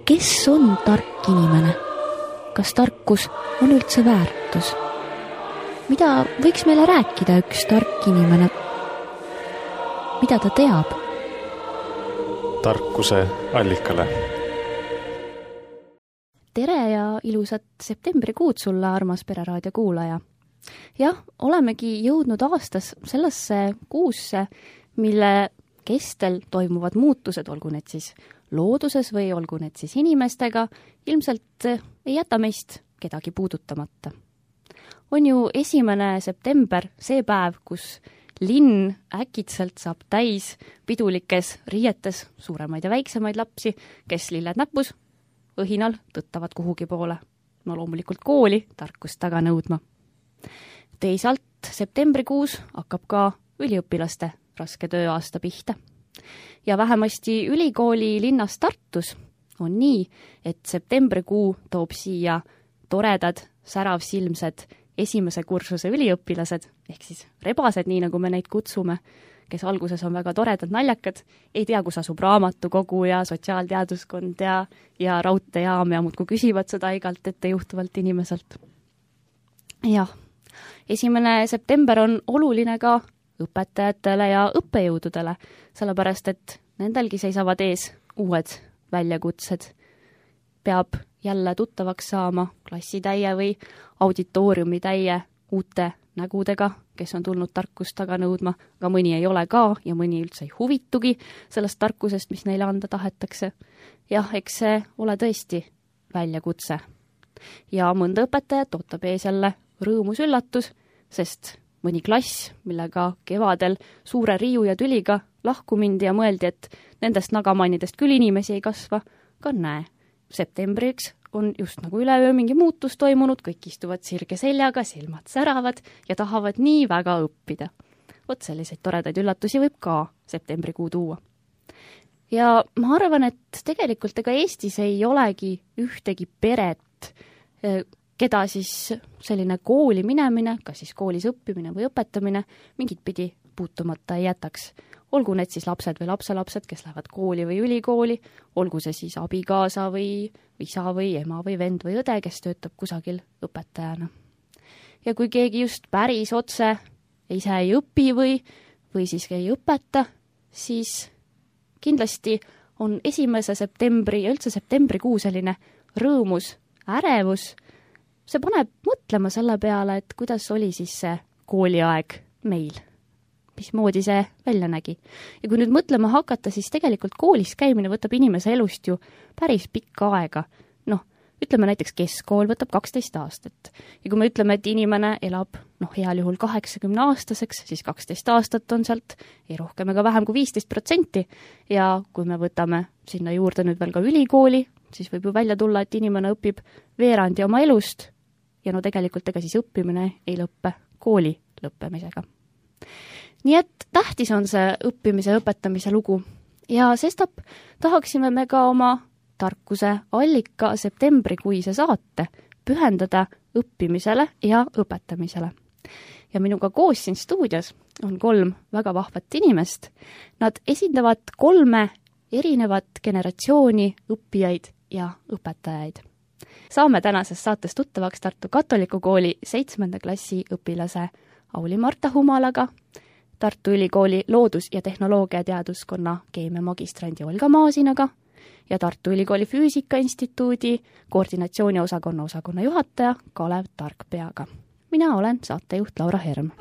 Kes on tark inimene? Kas tarkus on üldse väärtus? Mida võiks meile rääkida üks tark inimene? Mida ta teab? Tarkuse allikale. Tere ja ilusat septembrikuud sulle, armas Pereraadio kuulaja. Jah, olemegi jõudnud aastas sellesse kuusse, mille kestel toimuvad muutused, olgu need siis looduses või olgu need siis inimestega, ilmselt ei jäta meist kedagi puudutamata. On ju 1. september see päev, kus linn äkitselt saab täis pidulikes riietes suuremaid ja väiksemaid lapsi, kes lilled näpus, õhinal tõttavad kuhugi poole. No loomulikult kooli tarkust taga nõudma. Teisalt septembrikuus hakkab ka üliõpilaste raske tööaasta pihta. Ja vähemasti ülikooli linnas Tartus on nii, et septembrikuu toob siia toredad, säravsilmsed esimese kursuse üliõpilased, ehk siis rebased, nii nagu me neid kutsume, kes alguses on väga toredad, naljakad, ei tea, kus asub raamatukogu ja sotsiaalteaduskond ja raudteejaam ja muudkui küsivad seda igalt ettejuhtuvalt inimeselt. Jah, 1. september on oluline ka õpetajatele ja õppejõududele, sellepärast et nendelgi seisavad ees uued väljakutsed. Peab jälle tuttavaks saama klassitäie või auditooriumitäie uute nägudega, kes on tulnud tarkust taga nõudma, aga mõni ei ole ka ja mõni üldse ei huvitugi sellest tarkusest, mis neile anda tahetakse. Jah, eks see ole tõesti väljakutse. Ja mõnda õpetajat ootab ees jälle rõõmus üllatus, sest mõni klass, millega kevadel suure riiu ja tüliga lahku mindi ja mõeldi, et nendest nagamannidest küll inimesi ei kasva, ka näe. Septembriks on just nagu üleöö mingi muutus toimunud, kõik istuvad sirge seljaga, silmad säravad ja tahavad nii väga õppida. Vot selliseid toredaid üllatusi võib ka septembrikuu tuua. Ja ma arvan, et tegelikult ega Eestis ei olegi ühtegi peret, keda siis selline kooli minemine, kas siis koolis õppimine või õpetamine, mingit pidi puutumata ei jätaks. Olgu need siis lapsed või lapselapsed, kes lähevad kooli või ülikooli, olgu see siis abikaasa või isa või ema või vend või õde, kes töötab kusagil õpetajana. Ja kui keegi just päris otse ise ei õpi või siis ei õpeta, siis kindlasti on 1. septembri ja üldse septembrikuu selline rõõmus, ärevus. See paneb mõtlema selle peale, et kuidas oli siis see kooliaeg meil, mismoodi see välja nägi. Ja kui nüüd mõtlema hakata, siis tegelikult koolis käimine võtab inimese elust ju päris pikka aega. Noh, ütleme näiteks keskkool võtab 12 aastat. Ja kui me ütleme, et inimene elab heal juhul 80-aastaseks, siis 12 aastat on sealt ei rohkem ega vähem kui 15%. Ja kui me võtame sinna juurde nüüd veel ka ülikooli, siis võib ju välja tulla, et inimene õpib veerandi oma elust ja no tegelikult ega siis õppimine ei lõppe kooli lõppemisega. Nii et tähtis on see õppimise ja õpetamise lugu ja sestap tahaksime me ka oma tarkuse allika septembrikuise saate pühendada õppimisele ja õpetamisele. Ja minuga koos siin stuudios on 3 väga vahvat inimest. Nad esindavad 3 erinevat generatsiooni õppijaid ja õpetajaid. Saame tänases saates tuttavaks Tartu Katoliku kooli 7. klassi õpilase Auli-Marta Humalaga, Tartu Ülikooli loodus- ja tehnoloogiateaduskonna keemiamagistrandi Olga Maasinaga ja Tartu Ülikooli Füüsikainstituudi koordinatsiooniosakonna juhataja Kalev Tarkpeaga. Mina olen saatejuht Laura Herm.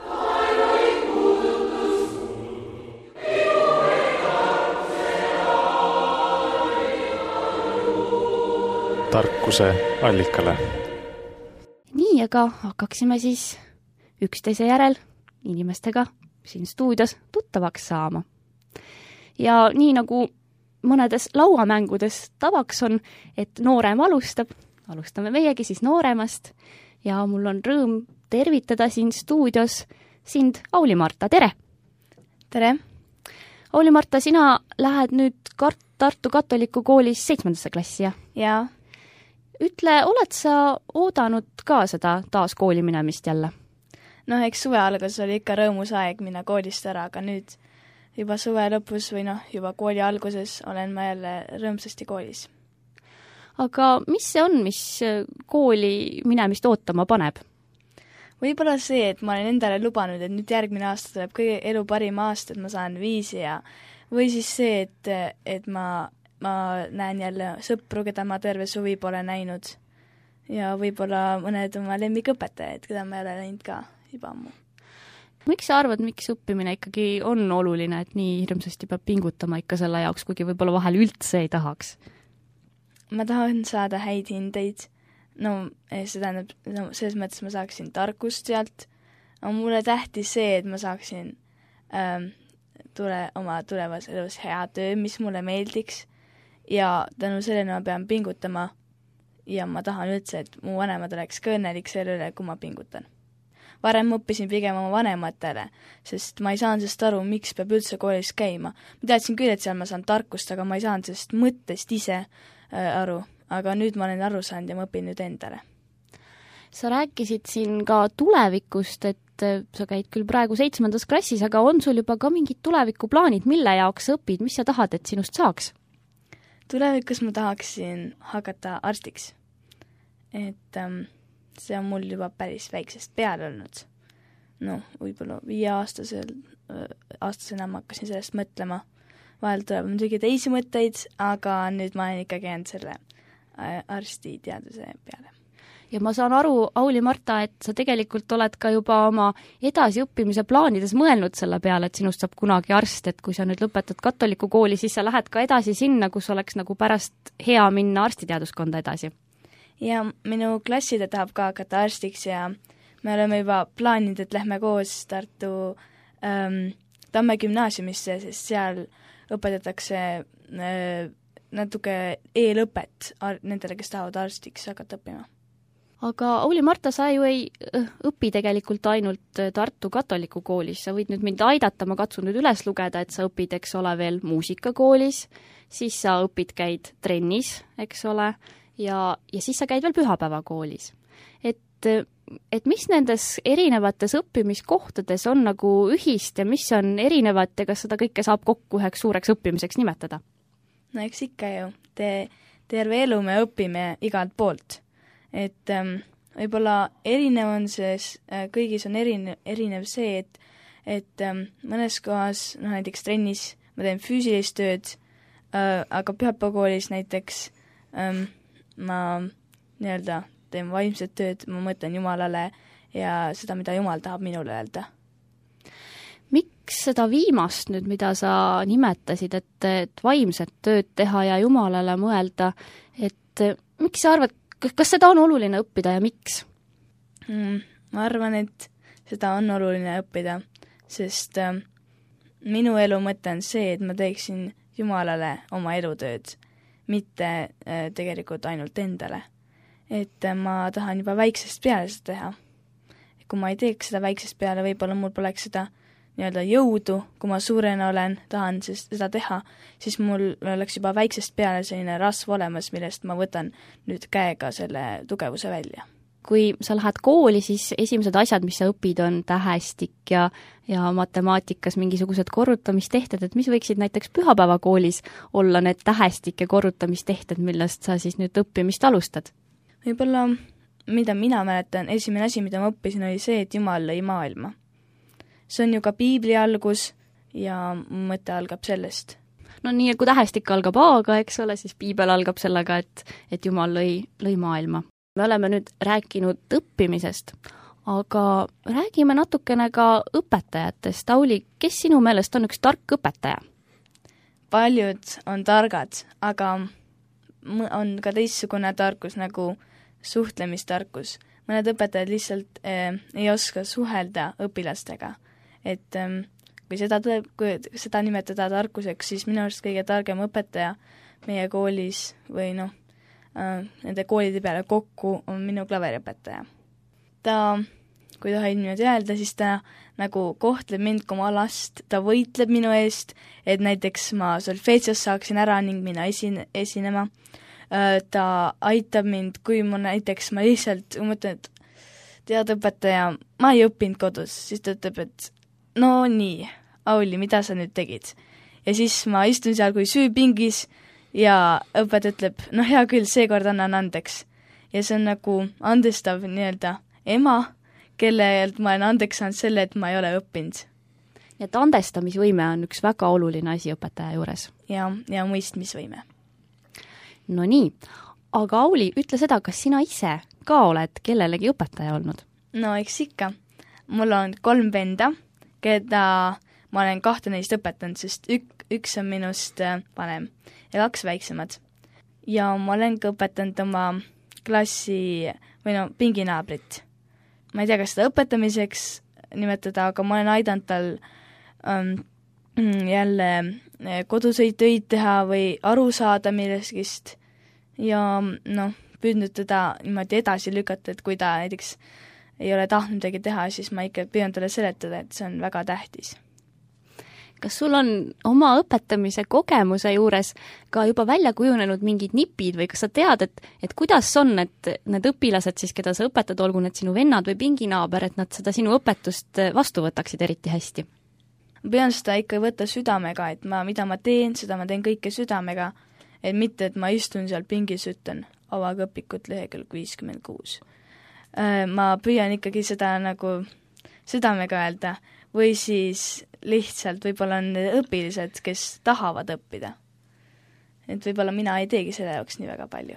Tarkuse allikale. Nii, aga hakkaksime siis üksteise järel inimestega siin stuudios tuttavaks saama. Ja nii nagu mõnedes lauamängudes tavaks on, et noorem alustame meiegi siis nooremast ja mul on rõõm tervitada siin stuudios sind, Auli-Marta, tere! Tere! Auli-Marta, sina lähed nüüd Tartu Katoliku koolis 7. klassi, jah? Jaa. Ütle, oled sa oodanud ka seda taas kooli minemist jälle? No eks suve algus oli ikka rõõmus aeg minna koolist ära, aga nüüd juba suve lõpus või juba kooli alguses olen ma jälle rõõmsasti koolis. aga mis see on, mis kooli minemist ootama paneb? Võib-olla see, et ma olen endale lubanud, et nüüd järgmine aasta tuleb kõige elu parim aasta, et ma saan 5 ja või siis see, et ma näen jälle sõpru, keda ma terve suvi pole näinud ja võib-olla mõned oma lemmikõpetajad, keda ma ei ole näinud ka juba ammu. Miks sa arvad, miks õppimine ikkagi on oluline, et nii hirmsasti peab pingutama ikka selle jaoks, kuigi võib-olla vahel üldse ei tahaks? Ma tahan saada häid hindeid. No see tähendab, selles mõttes ma saaksin tarkust sealt, aga mulle tähtis see, et ma saaksin oma tulevas elus hea töö, mis mulle meeldiks ja tänu sellele ma pean pingutama ja ma tahan üldse, et mu vanemad oleks ka õnnelik selle üle, kui ma pingutan. Varem ma õppisin pigem oma vanematele, sest ma ei saanud sellest aru, miks peab üldse koolis käima. Ma teadsin küll, et seal ma saan tarkust, aga ma ei saanud sellest mõttest ise aru. Aga nüüd ma olen aru saanud ja ma õpin nüüd endale. Sa rääkisid siin ka tulevikust, et sa käid küll praegu 7. klassis, aga on sul juba ka mingid tulevikuplaanid, mille jaoks sa õpid, mis sa tahad, et sinust saaks? Tulevikus ma tahaksin hakata arstiks. Et see on mul juba päris väiksest peale olnud. No, võib-olla 5-aastasena ma hakkasin sellest mõtlema. Vahel tuleb muidugi teisi mõtteid, aga nüüd ma olen ikkagi jäänud selle arstiteaduse peale. Ja ma saan aru, Auli Marta, et sa tegelikult oled ka juba oma edasiõppimise plaanides mõelnud selle peale, et sinust saab kunagi arst, et kui sa nüüd lõpetad katoliku kooli, siis sa lähed ka edasi sinna, kus oleks nagu pärast hea minna arstiteaduskonda edasi. Ja minu klasside tahab ka hakata arstiks ja me oleme juba plaaninud, et lähme koos Tartu Tamme gümnaasiumisse, sest seal õpetatakse natuke eelõpet nendele, kes tahavad arstiks hakata õppima. Aga Auli Marta, sa ju ei õpi tegelikult ainult Tartu katoliku koolis, sa võid nüüd mind aidata, ma katsun nüüd üles lugeda, et sa õpid, eks ole, veel muusikakoolis, siis sa õpid, käid trennis, eks ole, ja siis sa käid veel pühapäevakoolis. Et mis nendes erinevates õppimiskohtades on nagu ühist ja mis on erinevat ja kas seda kõike saab kokku üheks suureks õppimiseks nimetada? No eks ikka ju, terve elu me õpime igalt poolt. Et võib-olla erinev on kõigis on erinev see, et mõnes kohas, näiteks trennis ma teen füüsilist tööd, aga pühapäevakoolis näiteks ma nii-öelda teen vaimset tööd, ma mõtlen Jumalale ja seda, mida Jumal tahab minule öelda. Miks seda viimast nüüd, mida sa nimetasid, et vaimset tööd teha ja Jumalale mõelda, et miks sa arvad, kas seda on oluline õppida ja miks? Ma arvan, et seda on oluline õppida, sest minu elu mõte on see, et ma teeksin Jumalale oma elutööd, mitte tegelikult ainult endale. Et ma tahan juba väiksest peale seda teha. Kui ma ei teeks seda väiksest peale, võib-olla mul poleks seda nii-öelda jõudu, kui ma suurena olen, tahan seda teha, siis mul oleks juba väiksest peale selline rasv olemas, millest ma võtan nüüd käega selle tugevuse välja. Kui sa lähed kooli, siis esimesed asjad, mis sa õpid, on tähestik ja matemaatikas mingisugused korrutamistehted, et mis võiksid näiteks pühapäevakoolis olla need tähestik ja korrutamistehted, millest sa siis nüüd õppimist alustad? Võib-olla, mida mina mäletan, esimene asi, mida ma õppisin, oli see, et Jumal lõi maailma. See on ju ka piibli algus ja mõte algab sellest. No nii, kui tähestik algab A-ga, eks ole, siis piibel algab sellega, et Jumal lõi maailma. Me oleme nüüd rääkinud õppimisest, aga räägime natukene ka õpetajatest. Auli, kes sinu meelest on üks tark õpetaja? Paljud on targad, aga on ka teistsugune tarkus nagu suhtlemistarkus. Mõned õpetajad lihtsalt ei oska suhelda õpilastega. Et kui seda nimetada tarkuseks, siis minu arust kõige targem õpetaja meie koolis või nende koolide peale kokku on minu klaveriõpetaja. Ta, kui tohib niimoodi öelda, siis ta nagu kohtleb mind kui oma last, ta võitleb minu eest, et näiteks ma solfeetsios saaksin ära ning minna esinema. Ta aitab mind, kui ma lihtsalt mõtlen, et tead õpetaja, ma ei õppinud kodus, siis ta ütleb, et no nii, Auli, mida sa nüüd tegid? Ja siis ma istun seal kui süüpingis ja õpetaja ütleb, noh hea küll, seekord annan andeks. Ja see on nagu andestav nii-öelda ema, kellelt ma olen andeks saanud selle, et ma ei ole õppinud. nii et andestamisvõime on üks väga oluline asi õpetaja juures. Ja mõistmisvõime. No nii, aga Auli, ütle seda, kas sina ise ka oled kellelegi õpetaja olnud? No eks ikka. Mul on 3 venda, keda ma olen 2 neist õpetanud, sest üks on minust vanem ja 2 väiksemad. Ja ma olen ka õpetanud oma klassi või no pinginaabrit. Ma ei tea, kas seda õpetamiseks nimetada, aga ma olen aidanud tal jälle koduseid töid teha või aru saada millestki ja noh, püüdnud teda niimoodi edasi lükata, et kui ta näiteks ei ole tahtnud midagi teha, siis ma ikka püüan talle seletada, et see on väga tähtis. Kas sul on oma õpetamise kogemuse juures ka juba välja kujunenud mingid nipid või kas sa tead, et kuidas on, et need õpilased siis, keda sa õpetad, olgu need sinu vennad või pinginaaber, et nad seda sinu õpetust vastu võtaksid eriti hästi? Ma pean seda ikka võtta südamega, et mida ma teen, seda ma teen kõike südamega, et mitte, et ma istun seal pingis, ütlen avage õpikut lehekülg 56. Ma püüan ikkagi seda nagu südamega öelda või siis lihtsalt võib-olla on õpilised, kes tahavad õppida. Et võib-olla mina ei teegi selle jaoks nii väga palju.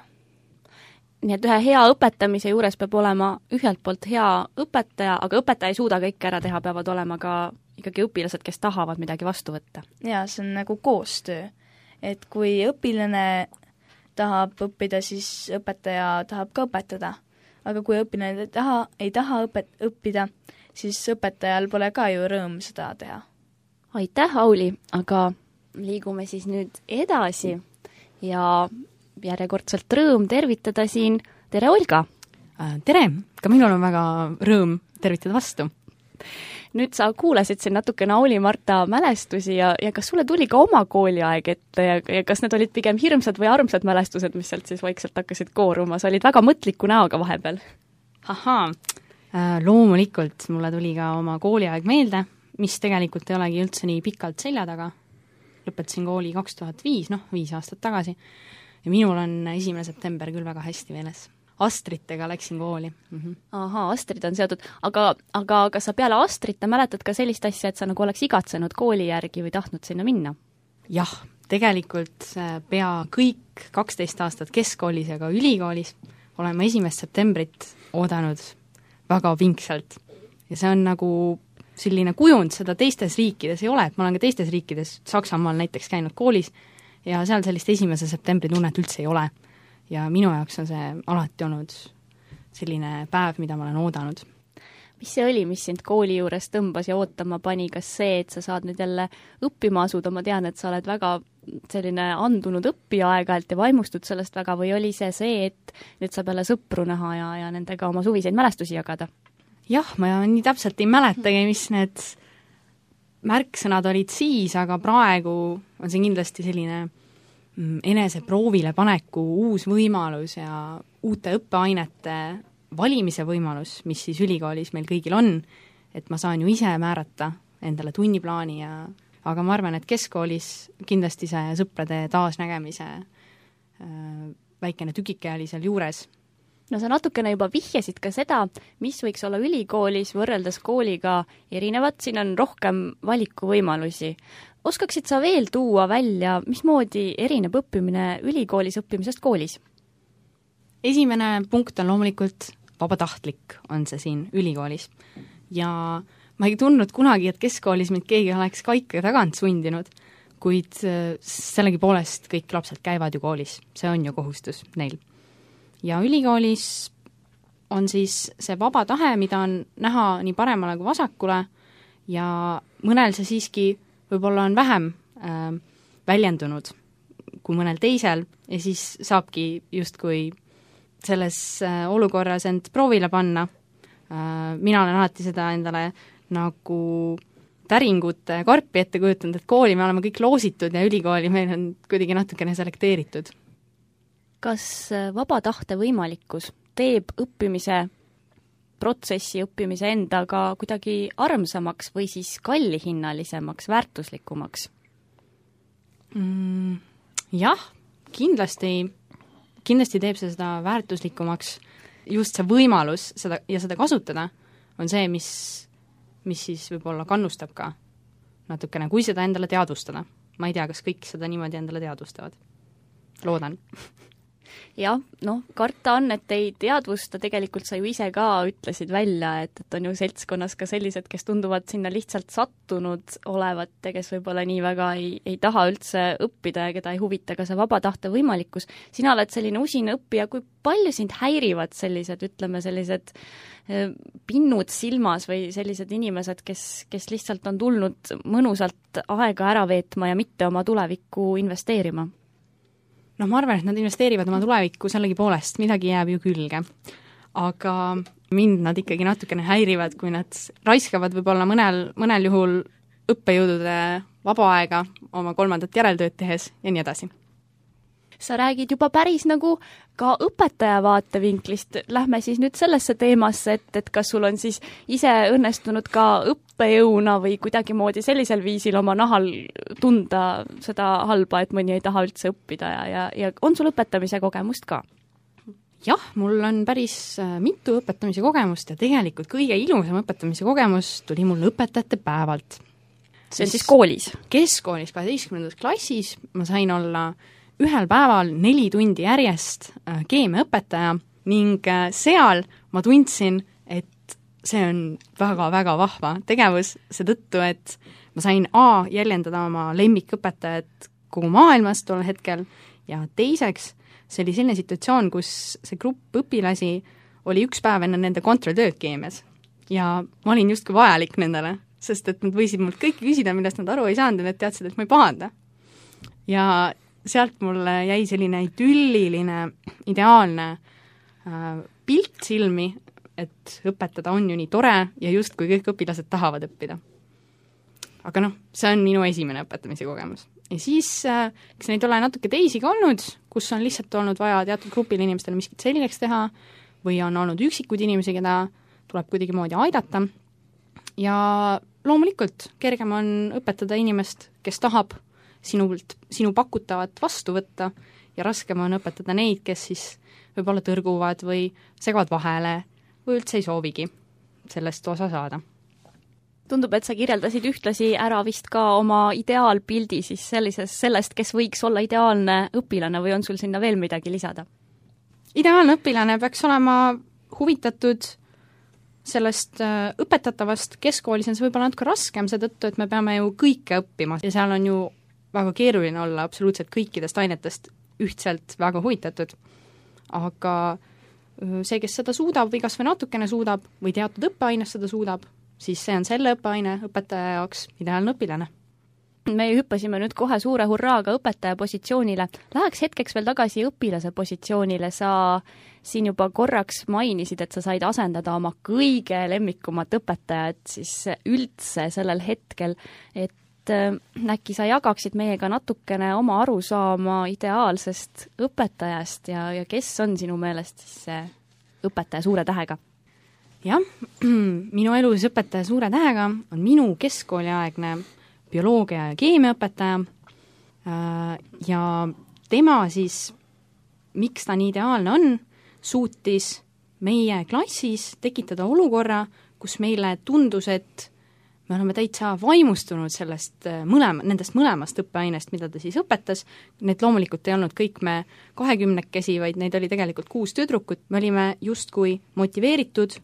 Nii et ühe hea õpetamise juures peab olema ühelt poolt hea õpetaja, aga õpetaja ei suuda kõike ära teha, peavad olema ka ikkagi õpilased, kes tahavad midagi vastu võtta. Jaa, see on nagu koostöö. Et kui õpilane tahab õppida, siis õpetaja tahab ka õpetada. Aga kui õpilane ei taha õppida, siis õpetajal pole ka ju rõõm seda teha. Aitäh, Auli, aga liigume siis nüüd edasi ja järjekordselt rõõm tervitada siin. Tere, Olga! Tere! Ka minul on väga rõõm tervitada vastu. Nüüd sa kuulasid siin natukene Auli-Marta mälestusi ja kas sulle tuli ka oma kooliaeg ette ja kas need olid pigem hirmsad või armsad mälestused, mis sealt siis vaikselt hakkasid kooruma? Sa olid väga mõtliku näoga vahepeal. Ahaa, loomulikult mulle tuli ka oma kooliaeg meelde, mis tegelikult ei olegi üldse nii pikalt selja taga. Lõpetasin kooli 2005, 5 aastat tagasi ja minul on 1. september küll väga hästi meeles. Astritega läksin kooli. Ahaa, Astrid on seotud. Aga kas sa peale Astrite mäletad ka sellist asja, et sa nagu oleks igatsenud kooli järgi või tahtnud sinna minna? Jah, tegelikult pea kõik 12 aastat keskkoolis ja ka ülikoolis olen ma 1. septembrit oodanud väga pingsalt. Ja see on nagu selline kujund, seda teistes riikides ei ole, et ma olen ka teistes riikides, Saksamaal näiteks käinud koolis ja seal sellist 1. septembri tunnet üldse ei ole. Ja minu jaoks on see alati olnud selline päev, mida ma olen oodanud. Mis see oli, mis sind kooli juures tõmbas ja ootama pani? Kas see, et sa saad nüüd jälle õppima asuda, ma tean, et sa oled väga selline andunud õppija aeg-ajalt ja vaimustud sellest väga, või oli see, et nüüd saab jälle sõpru näha ja nendega oma suviseid mälestusi jagada? Jah, ma nii täpselt ei mäletagi, mis need märksõnad olid siis, aga praegu on see kindlasti selline enese proovile paneku uus võimalus ja uute õppeainete valimise võimalus, mis siis ülikoolis meil kõigil on, et ma saan ju ise määrata endale tunniplaani aga ma arvan, et keskkoolis kindlasti see sõprade taasnägemise väikene tükike oli seal juures. No sa natukene juba vihjasid ka seda, mis võiks olla ülikoolis võrreldes kooliga erinevat, siin on rohkem valikuvõimalusi. Oskaksid sa veel tuua välja, mismoodi erineb õppimine ülikoolis õppimisest koolis? Esimene punkt on loomulikult vabatahtlik, on see siin ülikoolis. Ja ma ei tundnud kunagi, et keskkoolis mind keegi oleks kaika tagant sundinud, kuid sellegipoolest kõik lapsed käivad ju koolis, see on ju kohustus neil. Ja ülikoolis on siis see vaba tahe, mida on näha nii paremale kui vasakule ja mõnel see siiski võib-olla on vähem väljendunud kui mõnel teisel ja siis saabki justkui selles olukorras end proovile panna. Mina olen alati seda endale nagu täringute karpi ette kujutanud, et kooli me oleme kõik loositud ja ülikooli meil on kuidagi natukene selekteeritud. Kas vaba tahte võimalikkus teeb õppimise protsessi, õppimise endaga kuidagi armsamaks või siis kallihinnalisemaks, väärtuslikumaks? Jah, kindlasti teeb see seda väärtuslikumaks, just see võimalus seda kasutada on see, mis siis võib-olla kannustab ka natukene, kui seda endale teadvustada. Ma ei tea, kas kõik seda niimoodi endale teadvustavad. Loodan. Jah, karta on, et ei teadvusta, tegelikult sa ju ise ka ütlesid välja, et on ju seltskonnas ka sellised, kes tunduvad sinna lihtsalt sattunud olevat ja kes võib-olla nii väga ei taha üldse õppida ja keda ei huvita ka see vaba tahte võimalikkus. Sina oled selline usin õppija, kui palju sind häirivad sellised pinnud silmas või sellised inimesed, kes lihtsalt on tulnud mõnusalt aega ära veetma ja mitte oma tulevikku investeerima? Ma arvan, et nad investeerivad oma tulevikku sellegi poolest, midagi jääb ju külge. Aga mind nad ikkagi natukene häirivad, kui nad raiskavad võib-olla mõnel juhul õppejõudude vaba aega oma 3. järeltööd tehes ja nii edasi. Sa räägid juba päris nagu ka õpetaja vaatevinklist. Lähme siis nüüd sellesse teemasse, et kas sul on siis ise õnnestunud ka õppejõuna või kuidagimoodi sellisel viisil oma nahal tunda seda halba, et mõni ei taha üldse õppida ja on sul õpetamise kogemust ka? Jah, mul on päris mitu õpetamise kogemust ja tegelikult kõige ilusam õpetamise kogemus tuli mul õpetajate päevalt. See on siis koolis? Keskkoolis 12. klassis ma sain olla ühel päeval 4 tundi järjest keemiaõpetaja ning seal ma tundsin, et see on väga-väga vahva tegevus, seetõttu, et ma sain jäljendada oma lemmikõpetajat kogu maailmas tol hetkel ja teiseks, see oli selline situatsioon, kus see grupp õpilasi oli üks päev enne nende kontrolltööd keemias ja ma olin justkui vajalik nendele, sest et nad võisid mult kõike küsida, millest nad aru ei saanud ja nad teadsid, et ma ei pahanda. Ja sealt mulle jäi selline idülliline, ideaalne pilt silmi, et õpetada on ju nii tore ja just kui kõik õpilased tahavad õppida. Aga see on minu esimene õpetamise kogemus. Ja siis, eks neid ole natuke teisi ka olnud, kus on lihtsalt olnud vaja teatud grupil inimestele miskit selgeks teha või on olnud üksikud inimesi, keda tuleb kuidagi moodi aidata. Ja loomulikult kergem on õpetada inimest, kes tahab sinu pakutavat vastu võtta ja raskem on õpetada neid, kes siis võib-olla tõrguvad või segavad vahele või üldse ei soovigi sellest osa saada. Tundub, et sa kirjeldasid ühtlasi ära vist ka oma ideaalpildi siis sellest, kes võiks olla ideaalne õpilane või on sul sinna veel midagi lisada? Ideaalne õpilane peaks olema huvitatud sellest õpetatavast. Keskkoolis on see võib-olla natuke raskem, seetõttu, et me peame ju kõike õppima ja seal on ju väga keeruline olla absoluutselt kõikidest ainetest ühtselt väga huvitatud. Aga see, kes seda suudab või kas või natukene suudab või teatud õppeaines seda suudab, siis see on selle õppeaine õpetaja jaoks ideaalne õpilane. Me hüppasime nüüd kohe suure hurraaga õpetaja positsioonile. Läheks hetkeks veel tagasi õpilase positsioonile. Sa siin juba korraks mainisid, et sa said asendada oma kõige lemmikumat õpetajat siis üldse sellel hetkel, et äkki sa jagaksid meiega natukene oma arusaama ideaalsest õpetajast ja kes on sinu meelest siis see õpetaja suure tähega? Jah, minu elus õpetaja suure tähega on minu keskkooliaegne bioloogia ja keemiaõpetaja ja tema siis, miks ta nii ideaalne on, suutis meie klassis tekitada olukorra, kus meile tundus, et me oleme täitsa vaimustunud nendest mõlemast õppeainest, mida ta siis õpetas. Need loomulikult ei olnud kõik me 20-kesi, vaid neid oli tegelikult 6 tüdrukut. Me olime justkui motiveeritud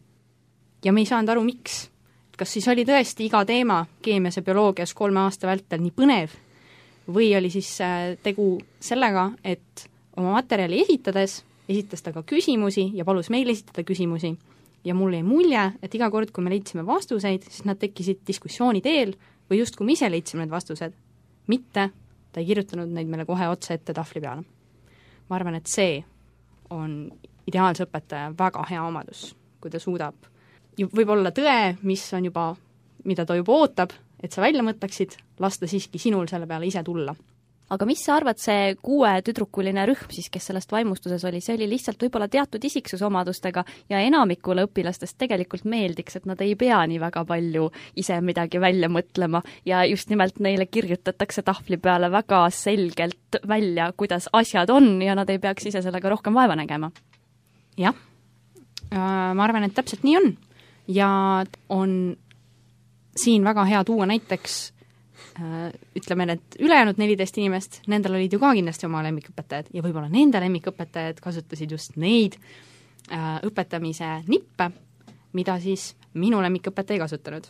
ja me ei saanud aru, miks. Kas siis oli tõesti iga teema keemias ja bioloogias 3 aasta vältel nii põnev või oli siis tegu sellega, et oma materjali esitas ta ka küsimusi ja palus meil esitada küsimusi. Ja mul jäi mulje, et iga kord, kui me leidsime vastuseid, siis nad tekkisid diskussiooni teel või just kui me ise leidsime need vastused. Mitte, ta ei kirjutanud neid meile kohe otse ette tahvli peale. Ma arvan, et see on ideaalse õpetaja väga hea omadus, kui ta suudab võib-olla tõe, mida ta juba ootab, et sa välja mõtleksid, lasta siiski sinul selle peale ise tulla. aga mis sa arvad, see 6 tüdrukuline rühm siis, kes sellest vaimustuses oli, see oli lihtsalt võib-olla teatud isiksusomadustega ja enamikule õpilastest tegelikult meeldiks, et nad ei pea nii väga palju ise midagi välja mõtlema ja just nimelt neile kirjutatakse tahvli peale väga selgelt välja, kuidas asjad on ja nad ei peaks ise sellega rohkem vaeva nägema. Jah, ma arvan, et täpselt nii on ja on siin väga hea tuua näiteks ütleme, et ülejäänud 14 inimest, nendel olid ju ka kindlasti oma lemmikõpetajad ja võib-olla nende lemmikõpetajad kasutasid just neid õpetamise nippe, mida siis minu lemmikõpetaja ei kasutanud.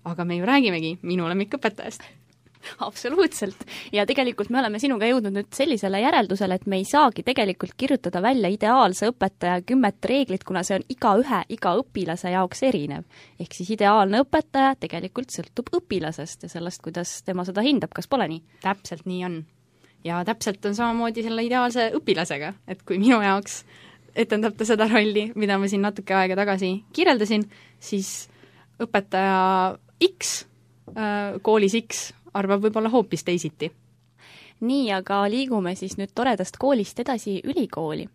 Aga me ju räägimegi minu lemmikõpetajast. Absoluutselt. Ja tegelikult me oleme sinuga jõudnud nüüd sellisele järeldusele, et me ei saagi tegelikult kirjutada välja ideaalse õpetaja 10 reeglit, kuna see on iga õpilase jaoks erinev. Ehk siis ideaalne õpetaja tegelikult sõltub õpilasest ja sellest, kuidas tema seda hindab, kas pole nii? Täpselt nii on. Ja täpselt on samamoodi selle ideaalse õpilasega, et kui minu jaoks etendab ta seda rolli, mida ma siin natuke aega tagasi kirjeldasin, siis õpetaja X, koolis X, arvab võib-olla hoopis teisiti. Nii, aga liigume siis nüüd toredast koolist edasi ülikooli.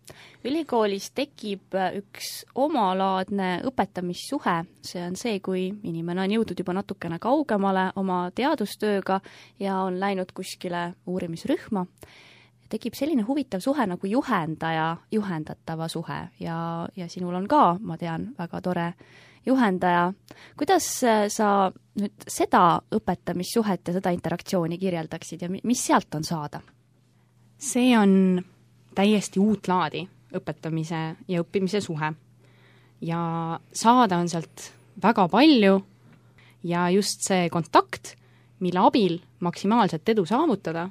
Ülikoolis tekib üks omalaadne õpetamissuhe, see on see, kui inimene on jõudnud juba natukene kaugemale oma teadustööga ja on läinud kuskile uurimisrühma. Tekib selline huvitav suhe nagu juhendatava suhe ja sinul on ka, ma tean, väga tore juhendaja. Kuidas sa nüüd seda õpetamissuhet ja seda interaktsiooni kirjeldaksid ja mis sealt on saada? See on täiesti uut laadi õpetamise ja õppimise suhe. Ja saada on sealt väga palju ja just see kontakt, mille abil maksimaalselt edu saavutada,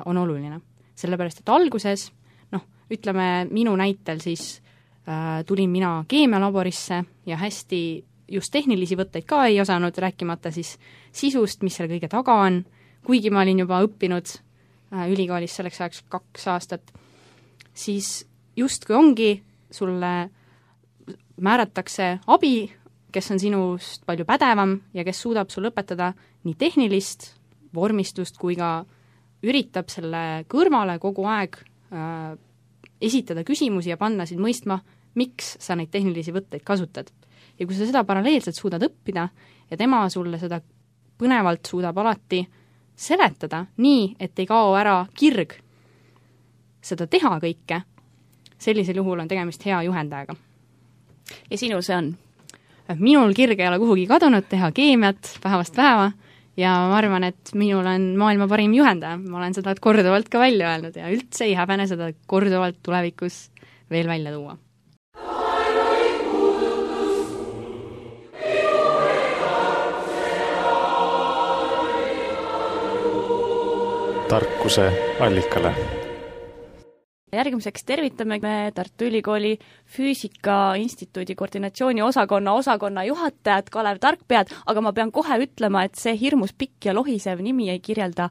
on oluline. Sellepärast, et alguses, ütleme minu näitel siis tulin mina keemialaborisse ja hästi just tehnilisi võtteid ka ei osanud, rääkimata siis sisust, mis selle kõige taga on, kuigi ma olin juba õppinud ülikoolis selleks ajaks 2 aastat, siis justkui ongi, sulle määratakse abi, kes on sinust palju pädevam ja kes suudab sulle õpetada nii tehnilist vormistust kui ka üritab selle kõrvale kogu aeg esitada küsimusi ja panna sind mõistma, miks sa neid tehnilisi võtteid kasutad. Ja kui sa seda paralleelselt suudad õppida ja tema sulle seda põnevalt suudab alati seletada nii, et ei kao ära kirg seda teha kõike, sellisel juhul on tegemist hea juhendajaga. Ja sinu see on? Minul kirg ei ole kuhugi kadunud teha keemiat päevast päeva ja ma arvan, et minul on maailma parim juhendaja. Ma olen seda korduvalt ka välja öelnud ja üldse ei häbene seda korduvalt tulevikus veel välja tuua. Tarkuse allikale. Järgmiseks tervitame me Tartu Ülikooli Füüsika Instituudi koordinatsiooni osakonna juhatajat Kalev Tarkpead, aga ma pean kohe ütlema, et see hirmus pikk ja lohisev nimi ei kirjelda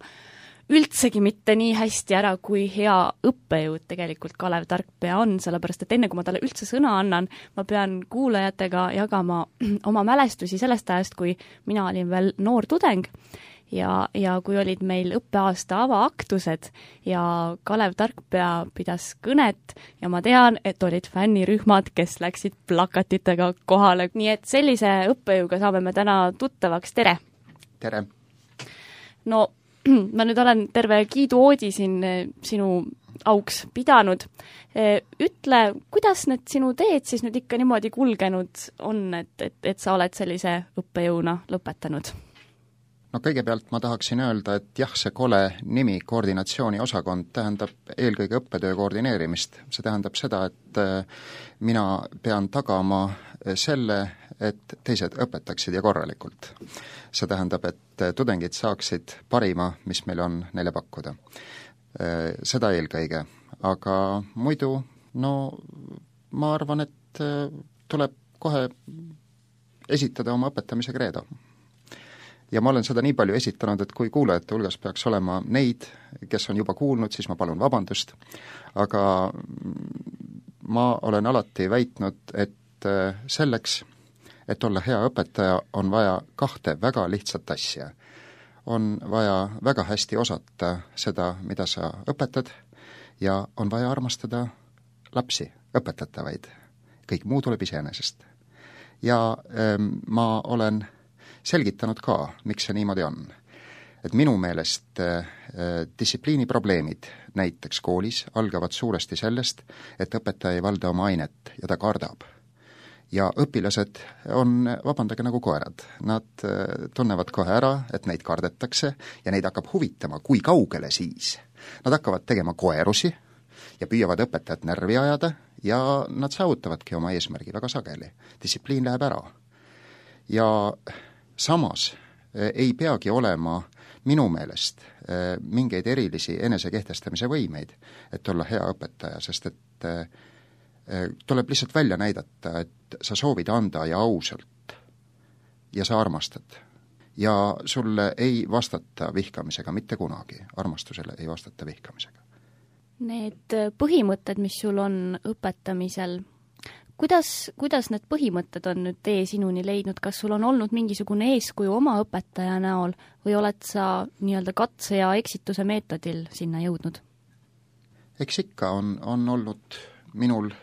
üldsegi mitte nii hästi ära, kui hea õppejõud tegelikult Kalev Tarkpea on, sellepärast et enne kui ma talle üldse sõna annan, ma pean kuulajatega jagama oma mälestusi sellest ajast, kui mina olin veel noor tudeng ja kui olid meil õppeaasta avaaktused ja Kalev Tarkpea pidas kõnet ja ma tean, et olid fännirühmad, kes läksid plakatitega kohale. Nii et sellise õppejõuga saame me täna tuttavaks. Tere! Tere! No, ma nüüd olen terve kiiduoodi siin sinu auks pidanud. Ütle, kuidas need sinu teed siis nüüd ikka niimoodi kulgenud on, et sa oled sellise õppejõuna lõpetanud? No kõigepealt ma tahaksin öelda, et jah, see kole nimi koordinatsiooniosakond tähendab eelkõige õppetöö koordineerimist. See tähendab seda, et mina pean tagama selle, et teised õpetaksid ja korralikult. See tähendab, et tudengid saaksid parima, mis meil on neile pakkuda. Seda eelkõige. Aga muidu, ma arvan, et tuleb kohe esitada oma õpetamise kreedo. Ja ma olen seda nii palju esitanud, et kui kuulajate hulgas peaks olema neid, kes on juba kuulnud, siis ma palun vabandust, aga ma olen alati väitnud, et selleks, et olla hea õpetaja, on vaja 2 väga lihtsat asja. on vaja väga hästi osata seda, mida sa õpetad, ja on vaja armastada lapsi, õpetatavaid. Kõik muu tuleb iseenesest. Ja ma olen selgitanud ka, miks see niimoodi on. Et minu meelest distsipliiniprobleemid näiteks koolis algavad suuresti sellest, et õpetaja ei valda oma ainet ja ta kardab. Ja õpilased on, vabandage, nagu koerad. Nad tunnevad kohe ära, et neid kardetakse ja neid hakkab huvitama, kui kaugele siis. Nad hakkavad tegema koerusi ja püüavad õpetajat närvi ajada ja nad saavutavadki oma eesmärgi väga sageli. Distsipliin läheb ära. Ja samas ei peagi olema minu meelest mingeid erilisi enesekehtestamise võimeid, et olla hea õpetaja, sest et tuleb lihtsalt välja näidata, et sa soovid anda ja ausalt ja sa armastad. Ja sulle ei vastata vihkamisega mitte kunagi, armastusele ei vastata vihkamisega. Need põhimõtted, mis sul on õpetamisel, kuidas need põhimõtted on nüüd tee sinuni leidnud, kas sul on olnud mingisugune eeskuju oma õpetaja näol või oled sa nii-öelda katse ja eksituse meetodil sinna jõudnud? Eks ikka on olnud minul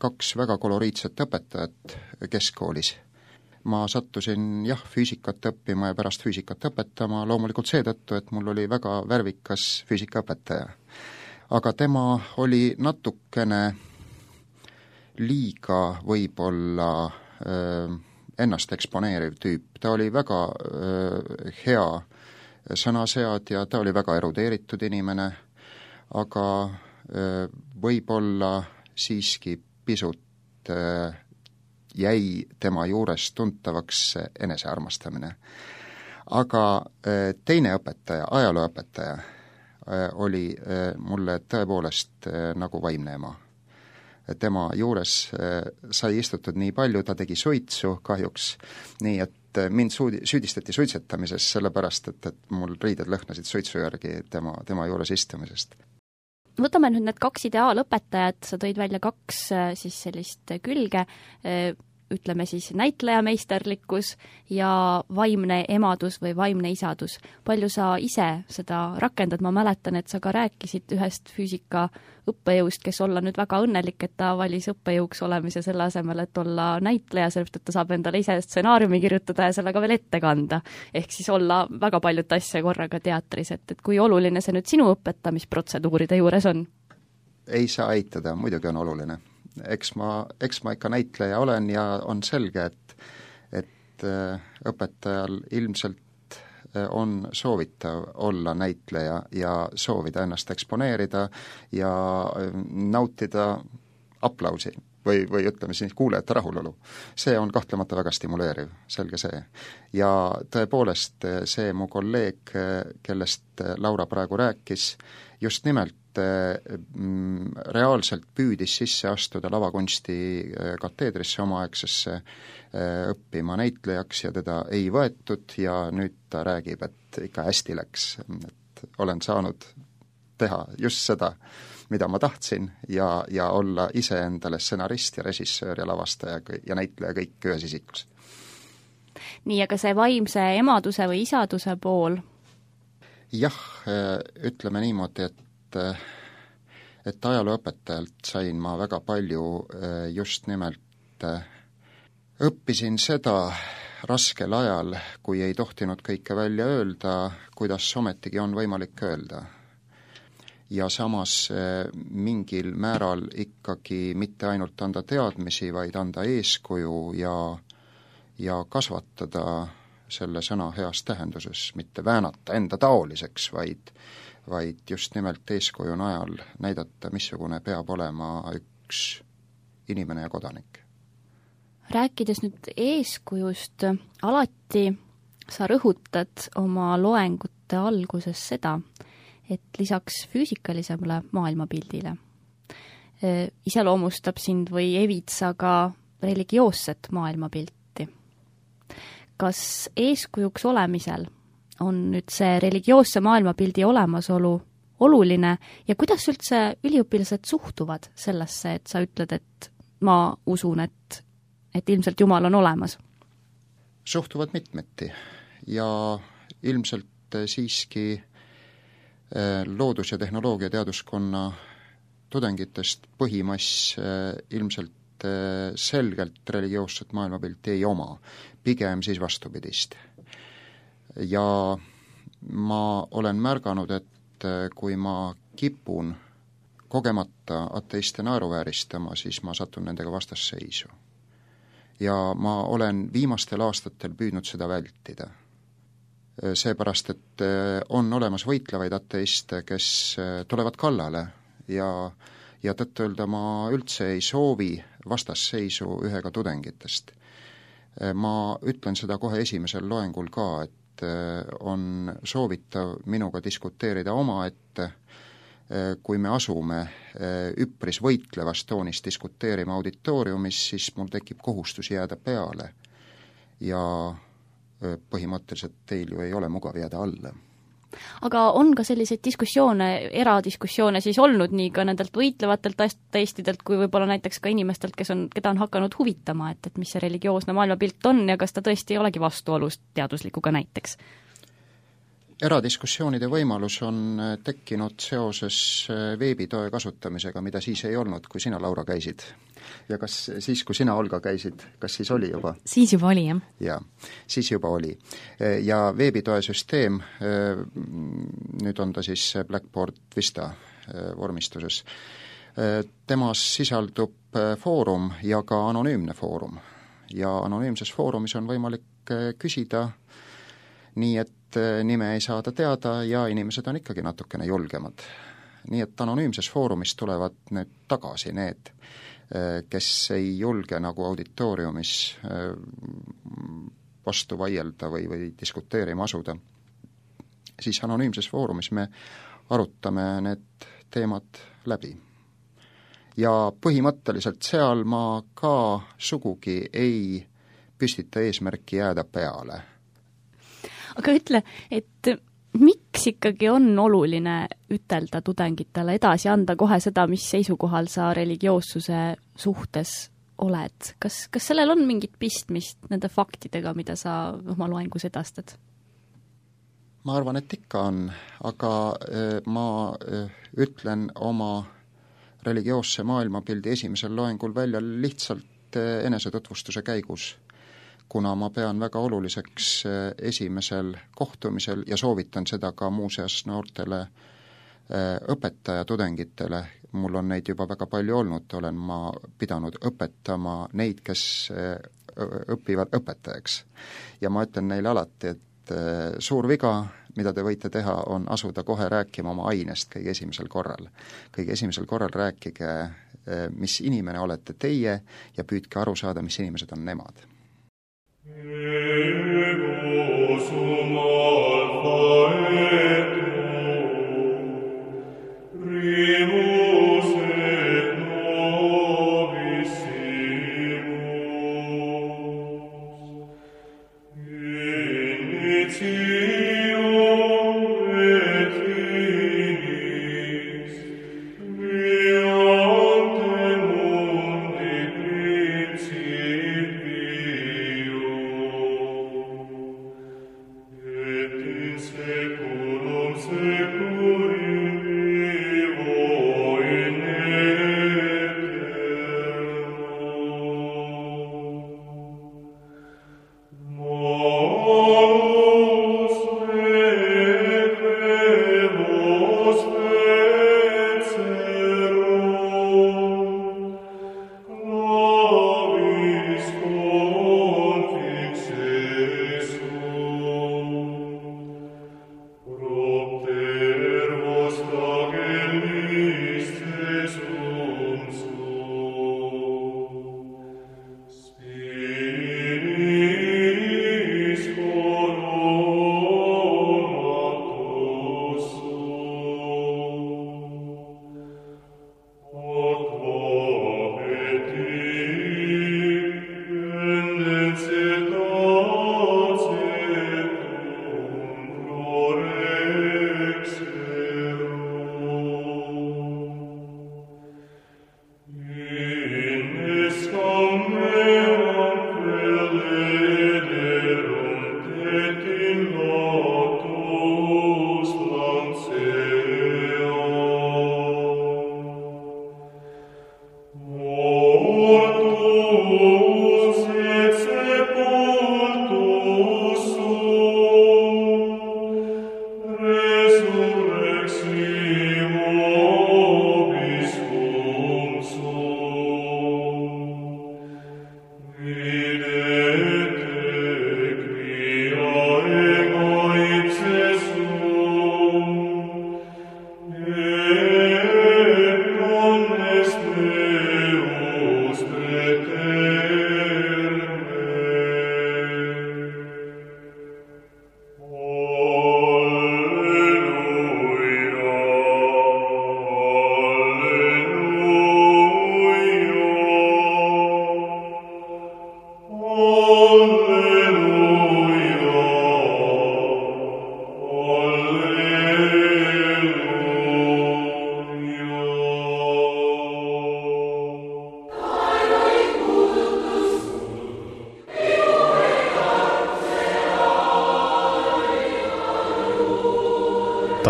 2 väga koloriitset õpetajat keskkoolis. Ma sattusin füüsikat õppima ja pärast füüsikat õpetama loomulikult seetõttu, et mul oli väga värvikas füüsikaõpetaja. Aga tema oli natukene liiga võib-olla ennast eksponeeriv tüüp. Ta oli väga hea sõnaseadja, ta oli väga erudeeritud inimene, aga võib-olla siiski pisut jäi tema juures tuntavaks enesearmastamine. Aga teine õpetaja, ajalooõpetaja, oli mulle tõepoolest nagu vaimne ema. Tema juures sai istutud nii palju, ta tegi suitsu kahjuks, nii et mind süüdistati suitsetamises, sellepärast et mul riided lõhnasid suitsu järgi tema juures istumisest. Võtame nüüd need 2 ideaalõpetajat, sa tõid välja 2 siis sellist külge, ütleme siis näitlejameisterlikkus ja vaimne emadus või vaimne isadus. Palju sa ise seda rakendad? Ma mäletan, et sa ka rääkisid ühest füüsika õppejõust, kes olla nüüd väga õnnelik, et ta valis õppejõuks olemise selle asemel, et olla näitleja, sellepärast et ta saab endale ise stsenaariumi kirjutada ja sellega veel ette kanda. Ehk siis olla väga paljut asja korraga teatris, et kui oluline see nüüd sinu õpetamisprotseduuride juures on? Ei saa eitada, muidugi on oluline. Eks ma ikka näitleja olen ja on selge, et õpetajal ilmselt on soovitav olla näitleja ja soovida ennast eksponeerida ja nautida aplausi või ütleme siis kuulajate rahulolu. See on kahtlemata väga stimuleeriv, selge see. Ja tõepoolest see mu kolleeg, kellest Laura praegu rääkis, just nimelt reaalselt püüdis sisse astuda lavakunsti kateedrisse omaaegsesse õppima näitlejaks ja teda ei võetud ja nüüd ta räägib, et ikka hästi läks, et olen saanud teha just seda, mida ma tahtsin ja olla ise endale stsenarist ja režissöör ja lavastaja ja näitleja kõik ühes isikus. Nii, aga see vaimse emaduse või isaduse pool? Jah, ütleme niimoodi, et ajalooõpetajalt sain ma väga palju just nimelt õppisin seda raskel ajal, kui ei tohtinud kõike välja öelda, kuidas ometigi on võimalik öelda. Ja samas mingil määral ikkagi mitte ainult anda teadmisi, vaid anda eeskuju ja kasvatada selle sõna heas tähenduses, mitte väänata enda taoliseks, vaid just nimelt eeskuju najal näidata, missugune peab olema üks inimene ja kodanik. Rääkides nüüd eeskujust, alati sa rõhutad oma loengute alguses seda, et lisaks füüsikalisele maailmapildile iseloomustab sind või evitsa ka religioosset maailmapilti. Kas eeskujuks olemisel on nüüd see religioosse maailmapildi olemasolu oluline ja kuidas üldse üliõpilased suhtuvad sellesse, et sa ütled, et ma usun, et ilmselt Jumal on olemas? Suhtuvad mitmeti ja ilmselt siiski loodus- ja tehnoloogiateaduskonna tudengitest põhimass ilmselt selgelt religioosset maailmapilti ei oma, pigem siis vastupidist. Ja ma olen märganud, et kui ma kipun kogemata ateiste naeruvääristama, siis ma satun nendega vastasseisu. Ja ma olen viimastel aastatel püüdnud seda vältida. Seepärast, et on olemas võitlevaid ateiste, kes tulevad kallale ja tõtt-öelda ma üldse ei soovi vastasseisu ühega tudengitest. Ma ütlen seda kohe esimesel loengul ka, et on soovitav minuga diskuteerida omaette, kui me asume üpris võitlevas toonis diskuteerima auditooriumis, siis mul tekib kohustus jääda peale ja põhimõtteliselt teil ju ei ole mugav jääda alla. Aga on ka selliseid diskussioone, eradiskussioone siis olnud nii ka nendelt võitlevatelt ateistidelt kui võib-olla näiteks ka inimestelt, keda on hakanud huvitama, et mis see religioosne maailmapilt on ja kas ta tõesti ei olegi vastuolus teaduslikuga näiteks? Eradiskussioonide võimalus on tekkinud seoses veebitoe kasutamisega, mida siis ei olnud, kui sina, Laura, käisid. Ja kas siis, kui sina, Olga, käisid, kas siis oli juba? Siis juba oli, jah. Jaa, siis juba oli. Ja veebitoe süsteem, nüüd on ta siis Blackboard Vista vormistuses, temas sisaldub foorum ja ka anonüümne foorum. Ja anonüümses foorumis on võimalik küsida nii, et nime ei saada teada ja inimesed on ikkagi natukene julgemad. Nii et anonüümses foorumis tulevad nüüd tagasi need, kes ei julge nagu auditooriumis vastu vaielda või diskuteerima asuda. Siis anonüümses foorumis me arutame need teemad läbi. Ja põhimõtteliselt seal ma ka sugugi ei püstita eesmärki jääda peale. Aga ütle, et miks ikkagi on oluline ütelda tudengitele edasi, anda kohe seda, mis seisukohal sa religioossuse suhtes oled? Kas sellel on mingit pistmist nende faktidega, mida sa oma loengus edastad? Ma arvan, et ikka on, aga ma ütlen oma religioosse maailmapildi esimesel loengul välja lihtsalt enesetutvustuse käigus, kuna ma pean väga oluliseks esimesel kohtumisel ja soovitan seda ka muuseas noortele õpetajatudengitele, mul on neid juba väga palju olnud, olen ma pidanud õpetama neid, kes õpivad õpetajaks. Ja ma ütlen neile alati, et suur viga, mida te võite teha, on asuda kohe rääkima oma ainest kõige esimesel korral. Kõige esimesel korral rääkige, mis inimene olete teie ja püüdke aru saada, mis inimesed on nemad.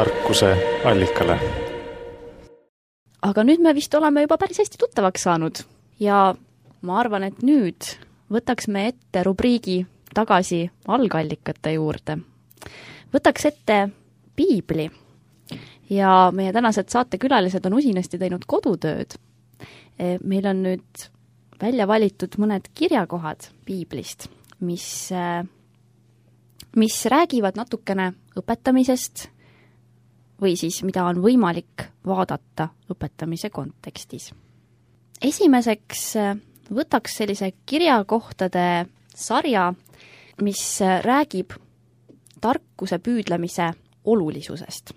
tarkuse allikale. Aga nüüd me vist oleme juba päris hästi tuttavaks saanud ja ma arvan, et nüüd võtaks me ette rubriigi tagasi algallikate juurde. Võtaks ette piibli ja meie tänased saatekülalised on usinasti teinud kodutööd. Meil on nüüd välja valitud mõned kirjakohad piiblist, mis räägivad natukene õpetamisest või siis mida on võimalik vaadata õpetamise kontekstis. Esimeseks võtaks sellise kirjakohtade sarja, mis räägib tarkuse püüdlemise olulisusest.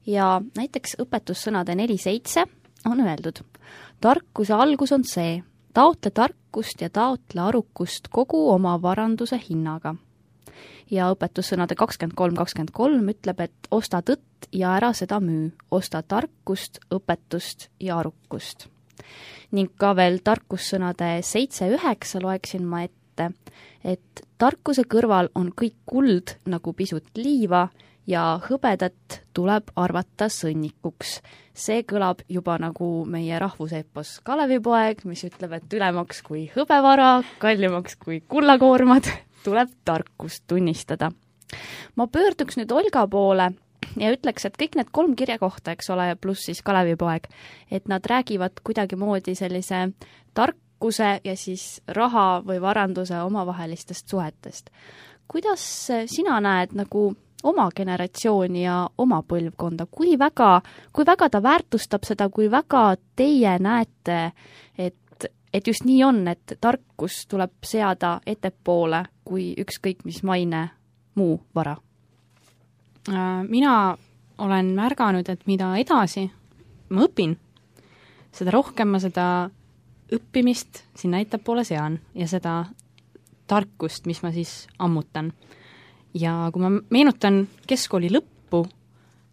Ja näiteks õpetussõnade 4.7 on öeldud: tarkuse algus on see, taotle tarkust ja taotle arukust kogu oma varanduse hinnaga. Ja õpetussõnade 23.23 ütleb, et osta tõtt ja ära seda müü, osta tarkust, õpetust ja arukust. Ning ka veel tarkussõnade 7.9 loeksin ma ette, et tarkuse kõrval on kõik kuld nagu pisut liiva ja hõbedat tuleb arvata sõnnikuks. See kõlab juba nagu meie rahvuseepos Kalevipoeg, mis ütleb, et ülemaks kui hõbevara, kallimaks kui kullakoormad, tuleb tarkust tunnistada. Ma pöörduks nüüd Olga poole ja ütleks, et kõik need 3 kirjakohta, eks ole, pluss siis Kalevipoeg, et nad räägivad kuidagimoodi sellise tarkuse ja siis raha või varanduse omavahelistest suhetest. Kuidas sina näed nagu oma generatsiooni ja oma põlvkonda, kui väga ta väärtustab seda, kui väga teie näete, et just nii on, et tarkus tuleb seada ettepoole kui ükskõik mis maine muu vara? Mina olen märganud, et mida edasi ma õpin, seda rohkem ma seda õppimist sinna ettepoole sean ja seda tarkust, mis ma siis ammutan. Ja kui ma meenutan keskkooli lõppu,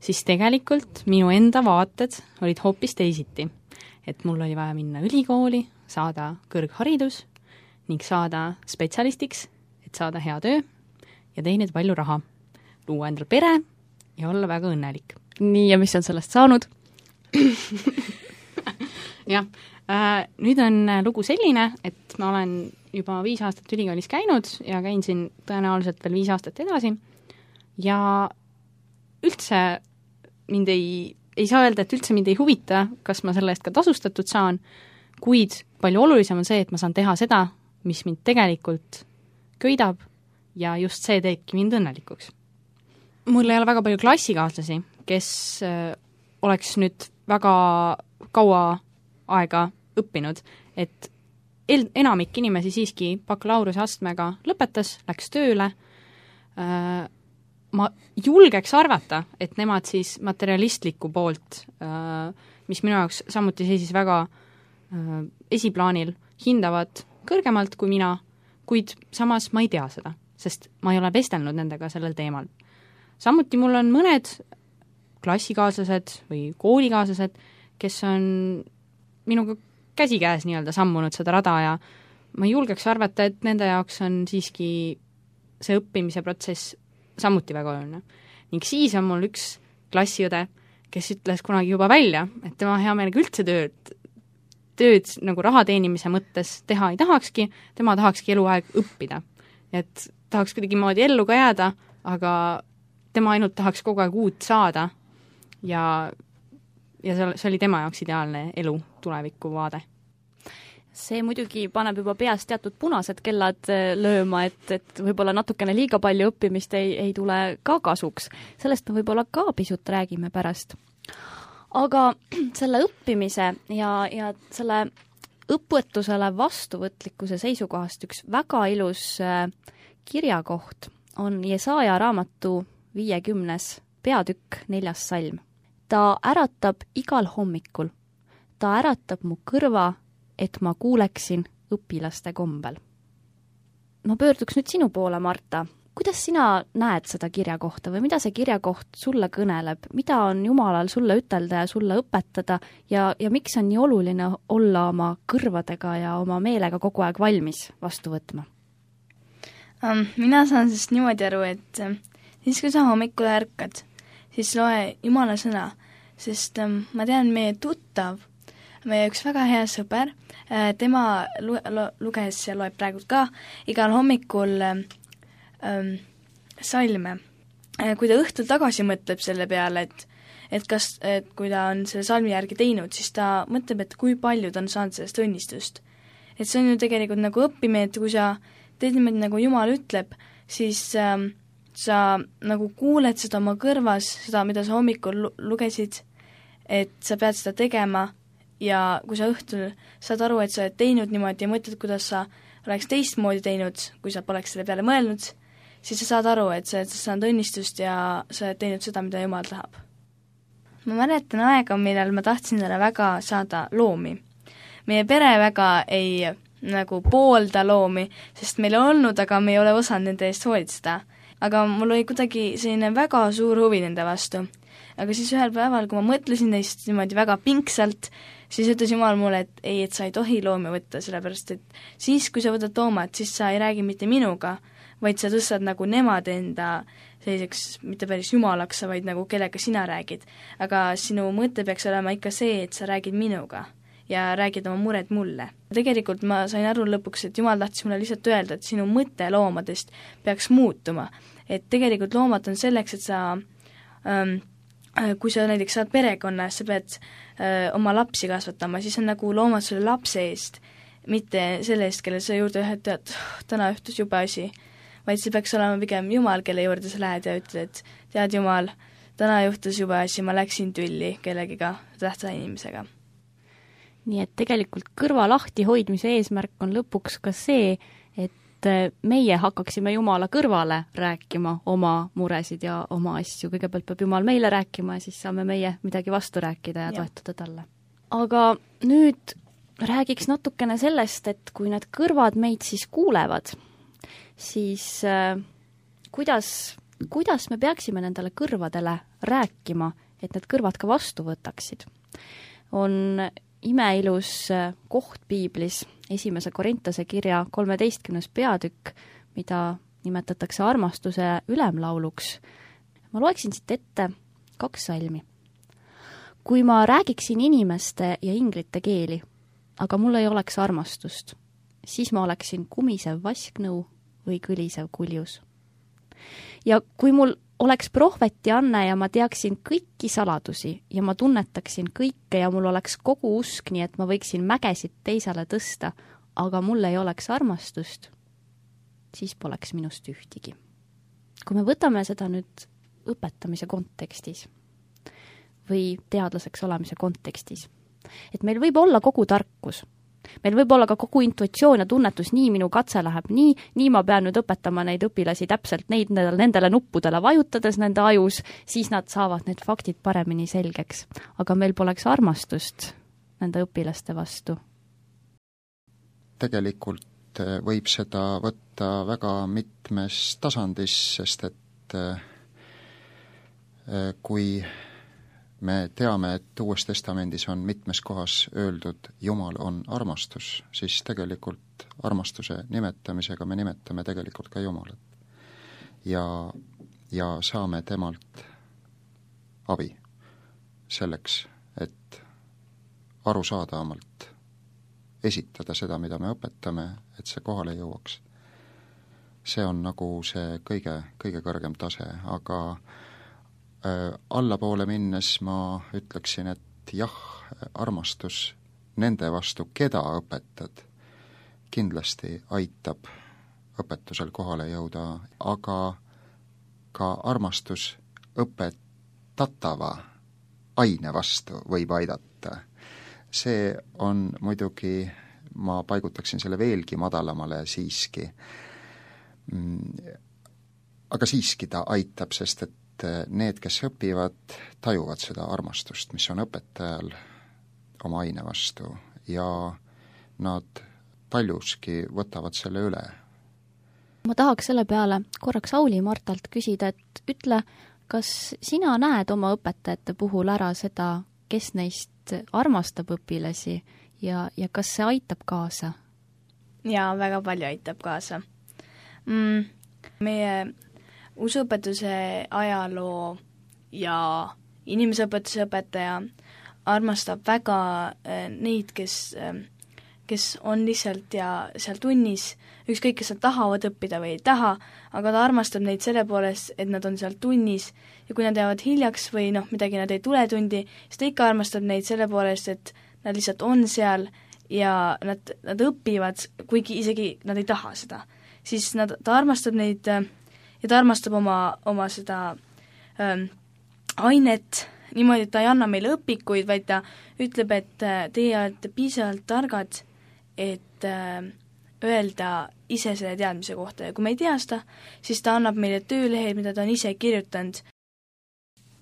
siis tegelikult minu enda vaated olid hoopis teisiti. Et mul oli vaja minna ülikooli, saada kõrgharidus ning saada spetsialistiks, et saada hea töö ja teenida palju raha, luua endal pere ja olla väga õnnelik. Nii, ja mis on sellest saanud? Jah, nüüd on lugu selline, et ma olen juba 5 aastat ülikoolis käinud ja käin siin tõenäoliselt veel 5 aastat edasi ja üldse mind ei saa öelda, et üldse mind ei huvita, kas ma selle eest ka tasustatud saan, kuid palju olulisem on see, et ma saan teha seda, mis mind tegelikult köidab ja just see teebki mind õnnelikuks. Mul ei ole väga palju klassikaaslasi, kes oleks nüüd väga kaua aega õppinud, et enamik inimesi siiski bakalaureuse astmega lõpetas, läks tööle. Ma julgeks arvata, et nemad siis materialistliku poolt, mis minu jaoks samuti seisis väga esiplaanil, hindavad kõrgemalt kui mina, kuid samas ma ei tea seda, sest ma ei ole vestelnud nendega sellel teemal. Samuti mul on mõned klassikaaslased või koolikaaslased, kes on minuga käsikäes nii-öelda sammunud seda rada ja ma julgeks arvata, et nende jaoks on siiski see õppimise protsess samuti väga oluline. Ning siis on mul üks klassiõde, kes ütles kunagi juba välja, et tema hea meelega üldse tööd nagu raha teenimise mõttes teha ei tahakski, tema tahakski eluaeg õppida. Et tahaks kuidagi moodi ellu ka jääda, aga tema ainult tahaks kogu aeg uut saada ja see oli tema jaoks ideaalne elu tuleviku vaade. See muidugi paneb juba peas teatud punased kellad lööma, et võib-olla natukene liiga palju õppimist ei tule ka kasuks. Sellest me võib-olla ka pisut räägime pärast. Aga selle õppimise ja selle õpetusele vastuvõtlikkuse seisukohast üks väga ilus kirjakoht on Jesaja raamatu 50. peatükk 4. salm. Ta äratab igal hommikul. Ta äratab mu kõrva, et ma kuuleksin õpilaste kombel. Ma pöörduks nüüd sinu poole, Marta. Kuidas sina näed seda kirjakohta või mida see kirjakoht sulle kõneleb? Mida on Jumalal sulle ütelda ja sulle õpetada ja miks on nii oluline olla oma kõrvadega ja oma meelega kogu aeg valmis vastu võtma? Mina saan sellest niimoodi aru, et siis kui sa hommikul ärkad, siis loe Jumala sõna, sest ma tean, meie tuttav, meie üks väga hea sõber, tema luges ja loeb praegu ka igal hommikul salme. Kui ta õhtul tagasi mõtleb selle peale, et kui ta on selle salmi järgi teinud, siis ta mõtleb, et kui palju ta on saanud sellest õnnistust. Et see on ju tegelikult nagu õppimine, et kui sa teed niimoodi, nagu Jumal ütleb, siis sa nagu kuuled seda oma kõrvas, seda, mida sa hommikul lugesid, et sa pead seda tegema ja kui sa õhtul saad aru, et sa oled teinud niimoodi ja mõtled, kuidas sa oleks teistmoodi teinud, kui sa poleks selle peale mõelnud, siis sa saad aru, et sa oled saanud õnnistust ja sa oled teinud seda, mida Jumal tahab. Ma mäletan aega, millal ma tahtsin talle väga saada loomi. Meie pere väga ei nagu poolda loomi, sest meil on olnud, aga me ei ole osanud nende eest hoolitseda. Aga mul oli kuidagi selline väga suur huvi nende vastu. Aga siis ühel päeval, kui ma mõtlesin neist niimoodi väga pingsalt, siis ütles Jumal mulle, et ei, et sa ei tohi loomi võtta, sellepärast et siis, kui sa võtad loomad, siis sa ei räägi mitte minuga, vaid sa tõstad nagu nemad enda selliseks, mitte päris jumalaks, vaid nagu kellega sina räägid. Aga sinu mõte peaks olema ikka see, et sa räägid minuga ja räägid oma mured mulle. Tegelikult ma sain aru lõpuks, et Jumal tahtis mulle lihtsalt öelda, et sinu mõte loomadest peaks muutuma. Et tegelikult loomad on selleks, et sa kui sa näiteks saad perekonna, sa pead oma lapsi kasvatama, siis on nagu loomad sulle lapse eest, mitte selle eest, kelle sa juurde ühed tead, täna juhtus jube asi, vaid see peaks olema pigem Jumal, kelle juurde sa lähed ja ütled, tead Jumal, täna juhtus jube asi, ma läksin tülli kellegiga, tähtsa inimesega. Nii et tegelikult kõrva lahti hoidmise eesmärk on lõpuks ka see, et meie hakkaksime Jumala kõrvale rääkima oma muresid ja oma asju. Kõigepealt peab Jumal meile rääkima ja siis saame meie midagi vastu rääkida ja toetada talle. Aga nüüd räägiks natukene sellest, et kui need kõrvad meid siis kuulevad, siis kuidas me peaksime nendele kõrvadele rääkima, et need kõrvad ka vastu võtaksid? On imeilus koht piiblis, 1. Korintase kirja 13. peatükk, mida nimetatakse armastuse ülemlauluks. Ma loeksin siit ette 2 salmi. Kui ma räägiksin inimeste ja inglite keeli, aga mul ei oleks armastust, siis ma oleksin kumisev vasknõu või kõlisev kuljus. Ja kui mul oleks prohveti anne ja ma teaksin kõiki saladusi ja ma tunnetaksin kõike ja mul oleks kogu usk, nii et ma võiksin mägesid teisele tõsta, aga mul ei oleks armastust, siis poleks minust ühtigi. Kui me võtame seda nüüd õpetamise kontekstis või teadlaseks olemise kontekstis, et meil võib olla kogu tarkus, meil võib olla ka kogu intuitsioon ja tunnetus, nii minu katse läheb nii ma pean nüüd õpetama neid õpilasi täpselt nendele nuppudele vajutades nende ajus, siis nad saavad need faktid paremini selgeks. Aga meil poleks armastust nende õpilaste vastu. Tegelikult võib seda võtta väga mitmes tasandis, sest et kui me teame, et Uues Testamendis on mitmes kohas öeldud, Jumal on armastus, siis tegelikult armastuse nimetamisega me nimetame tegelikult ka Jumalat. Ja saame temalt abi selleks, et arusaadavamalt esitada seda, mida me õpetame, et see kohale jõuaks. See on nagu see kõige kõrgem tase, aga allapoole minnes ma ütleksin, et jah, armastus nende vastu, keda õpetad, kindlasti aitab õpetusel kohale jõuda, aga ka armastus õpetatava aine vastu võib aidata. See on muidugi, ma paigutaksin selle veelgi madalamale siiski. Aga siiski ta aitab, sest et need, kes õpivad, tajuvad seda armastust, mis on õpetajal oma aine vastu ja nad paljuski võtavad selle üle. Ma tahaks selle peale korraks Auli Martalt küsida, et ütle, kas sina näed oma õpetajate puhul ära seda, kes neist armastab õpilasi ja kas see aitab kaasa? Jaa, väga palju aitab kaasa. Meie usuõpetuse ajaloo ja inimeseõpetuse õpetaja armastab väga neid, kes on lihtsalt ja seal tunnis, ükskõik, kes nad tahavad õppida või ei taha, aga ta armastab neid selle poolest, et nad on seal tunnis ja kui nad jäävad hiljaks või midagi nad ei tule tundi, siis ta ikka armastab neid selle poolest, et nad lihtsalt on seal ja nad õpivad, kuigi isegi nad ei taha seda. Siis ta armastab neid ja ta armastab oma seda ainet niimoodi, et ta ei anna meile õpikuid, vaid ta ütleb, et teie olete piisavalt targad, et öelda ise selle teadmise kohta ja kui me ei tea seda, siis ta annab meile töölehed, mida ta on ise kirjutanud.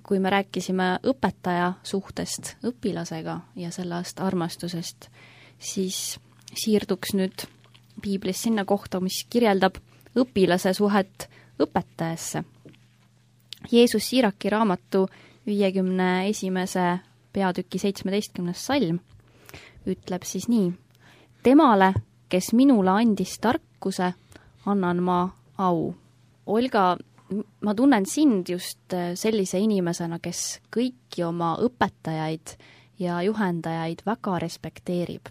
Kui me rääkisime õpetaja suhtest õpilasega ja sellest armastusest, siis siirduks nüüd piiblis sinna kohta, mis kirjeldab õpilase suhet õpetajasse. Jeesus Siiraki raamatu 51. peatüki 17. salm ütleb siis nii: temale, kes minule andis tarkuse, annan ma au. Olga, ma tunnen sind just sellise inimesena, kes kõiki oma õpetajaid ja juhendajaid väga respekteerib.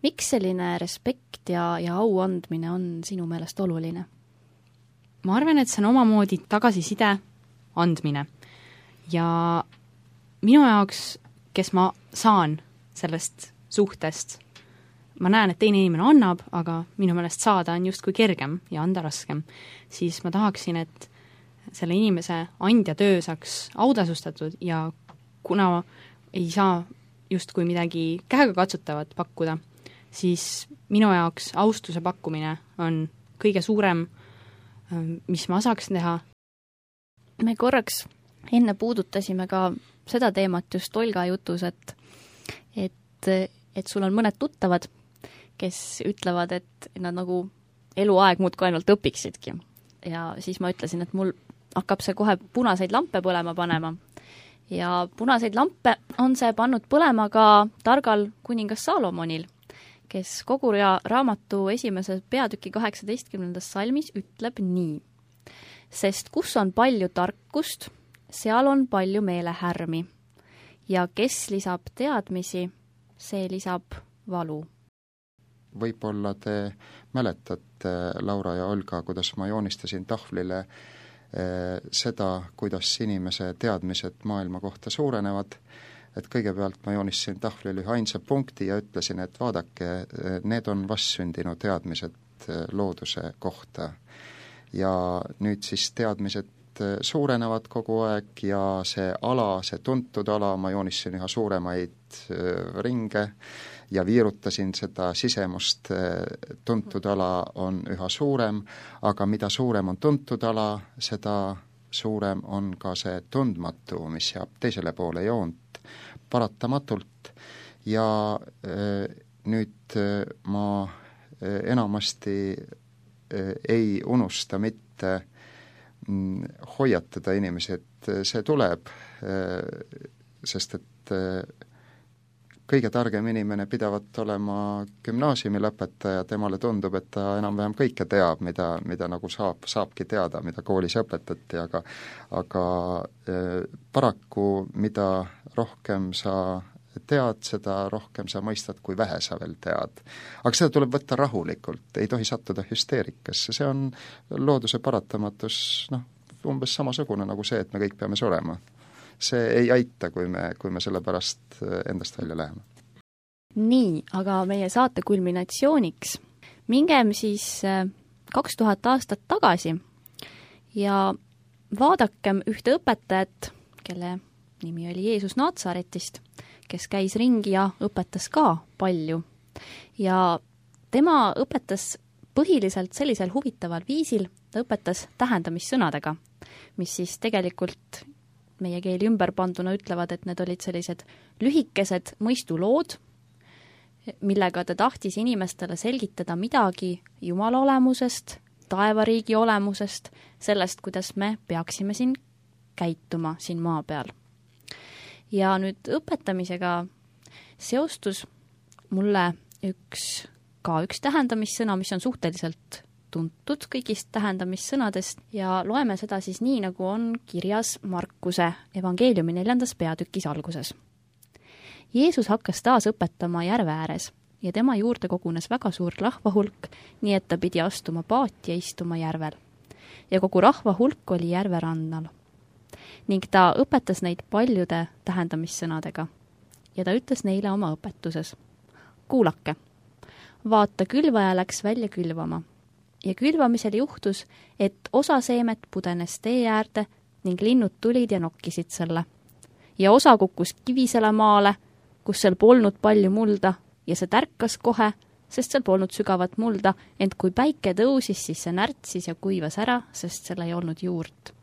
Miks selline respekt ja au andmine on sinu meelest oluline? Ma arvan, et see on omamoodi tagasiside andmine. Ja minu jaoks, kes ma saan sellest suhtest, ma näen, et teine inimene annab, aga minu meelest saada on justkui kergem ja anda raskem, siis ma tahaksin, et selle inimese andja töö saaks autasustatud ja kuna ei saa justkui midagi käega katsutavat pakkuda, siis minu jaoks austuse pakkumine on kõige suurem, mis ma saaks teha. Me korraks enne puudutasime ka seda teemat just Olga jutus, et sul on mõned tuttavad, kes ütlevad, et nad nagu eluaeg muudkui ainult õpiksidki. Ja siis ma ütlesin, et mul hakkab see kohe punaseid lampe põlema panema. Ja punaseid lampe on see pannud põlema ka targal kuningas Salomonil, kes kogu raamatu 1. peatüki 18. salmis ütleb nii: sest kus on palju tarkust, seal on palju meelehärmi ja kes lisab teadmisi, see lisab valu. Võib-olla te mäletate, Laura ja Olga, kuidas ma joonistasin tahvlile seda, kuidas inimese teadmised maailma kohta suurenevad, et kõigepealt ma joonistasin tahvlile ühe ainsa punkti ja ütlesin, et vaadake, need on vastsündinud teadmised looduse kohta. Ja nüüd siis teadmised suurenevad kogu aeg ja see ala, see tuntud ala, ma joonistasin üha suuremaid ringe ja viirutasin seda sisemust, tuntud ala on üha suurem, aga mida suurem on tuntud ala, seda suurem on ka see tundmatu, mis jääb teisele poole joont paratamatult. Ja nüüd ma enamasti ei unusta mitte hoiatada inimesi, et see tuleb, sest et kõige targem inimene pidavat olema gümnaasiumi lõpetaja, temale tundub, et ta enam-vähem kõike teab, mida nagu saabki teada, mida koolis õpetati, aga paraku mida rohkem sa tead, seda rohkem sa mõistad, kui vähe sa veel tead. Aga seda tuleb võtta rahulikult, ei tohi sattuda hüsteerikasse, see on looduse paratamatus, umbes samasugune nagu see, et me kõik peame surema. See ei aita, kui me selle pärast endast välja läheme. Nii, aga meie saate kulminatsiooniks mingem siis 2000 aastat tagasi ja vaadakem ühte õpetajat, kelle nimi oli Jeesus Natsaretist, kes käis ringi ja õpetas ka palju. Ja tema õpetas põhiliselt sellisel huvitaval viisil, ta õpetas tähendamissõnadega, mis siis tegelikult meie keeli ümberpanduna ütlevad, et need olid sellised lühikesed mõistulood, millega ta tahtis inimestele selgitada midagi Jumala olemusest, taevariigi olemusest, sellest, kuidas me peaksime siin käituma siin maa peal. Ja nüüd õpetamisega seostus mulle üks tähendamissõna, mis on suhteliselt tuntud kõigist tähendamissõnadest ja loeme seda siis nii, nagu on kirjas Markuse evangeeliumi 4. peatükis alguses. Jeesus hakkas taas õpetama järve ääres ja tema juurde kogunes väga suur rahvahulk, nii et ta pidi astuma paati ja istuma järvel. Ja kogu rahvahulk oli järve rannal. Ning ta õpetas neid paljude tähendamissõnadega ja ta ütles neile oma õpetuses: kuulake, vaata, külvaja läks välja külvama ja külvamisel juhtus, et osa seemet pudenes tee äärde ning linnud tulid ja nokkisid selle. Ja osa kukkus kivisele maale, kus seal polnud palju mulda ja see tärkas kohe, sest seal polnud sügavat mulda, ent kui päike tõusis, siis see närtsis ja kuivas ära, sest seal ei olnud juurt.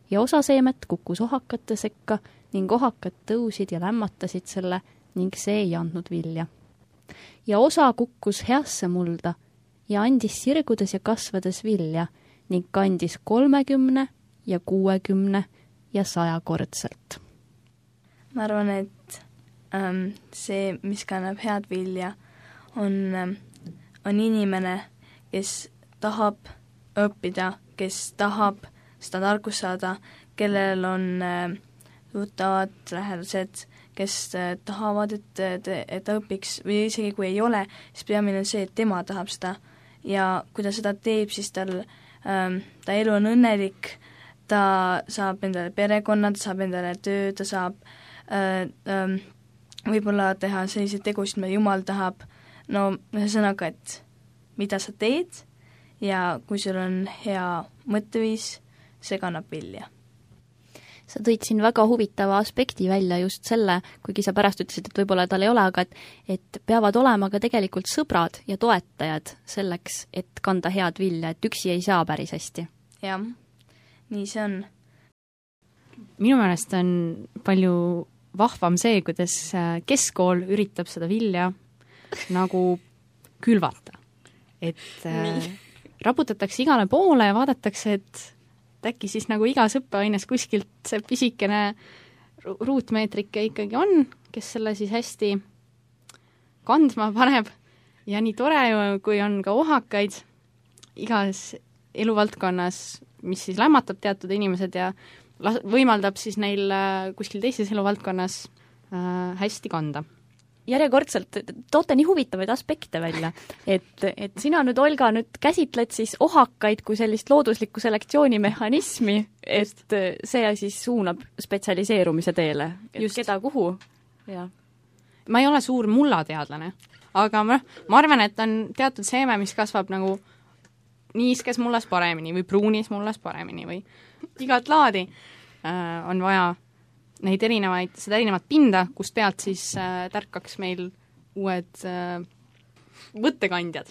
Ja osa seemet kukkus ohakate sekka ning ohakad tõusid ja lämmatasid selle ning see ei andnud vilja. Ja osa kukkus heasse mulda ja andis sirgudes ja kasvades vilja ning kandis 30 ja 60 ja 100 kordselt. Ma arvan, et see, mis kannab head vilja, on inimene, kes tahab õppida, kes tahab seda tarkust saada, kellel on tuttavad lähedased, kes tahavad, et ta õpiks või isegi kui ei ole, siis peamine on see, et tema tahab seda ja kui ta seda teeb, siis ta elu on õnnelik, ta saab endale perekonna, ta saab endale töö, ta saab võib-olla teha selliseid tegusid, mida Jumal tahab, no ühesõnaga, et mida sa teed ja kui sul on hea mõtteviis, see kannab vilja. Sa tõid siin väga huvitava aspekti välja just selle, kuigi sa pärast ütlesid, et võib-olla tal ei ole, aga et peavad olema ka tegelikult sõbrad ja toetajad selleks, et kanda head vilja, et üksi ei saa päris hästi. Jah, nii see on. Minu meelest on palju vahvam see, kuidas keskkool üritab seda vilja nagu külvata. Et raputatakse igale poole ja vaadatakse, et äkki siis nagu igas õppeaines kuskilt see pisikene ruutmeetrike ikkagi on, kes selle siis hästi kandma paneb ja nii tore, kui on ka ohakaid igas eluvaldkonnas, mis siis lämmatab teatud inimesed ja võimaldab siis neil kuskil teises eluvaldkonnas hästi kanda. Järjekordselt toote nii huvitavaid aspekte välja, et sina nüüd, Olga, nüüd käsitled siis ohakaid kui sellist looduslikku selektsioonimehhanismi, et see siis suunab spetsialiseerumise teele, et just. Keda kuhu. Ja. Ma ei ole suur mullateadlane, aga ma arvan, et on teatud seeme, mis kasvab nagu niiskes mullas paremini või pruunis mullas paremini või igat laadi on vaja seda erinevat pinda, kust pealt siis tärkaks meil uued mõttekandjad.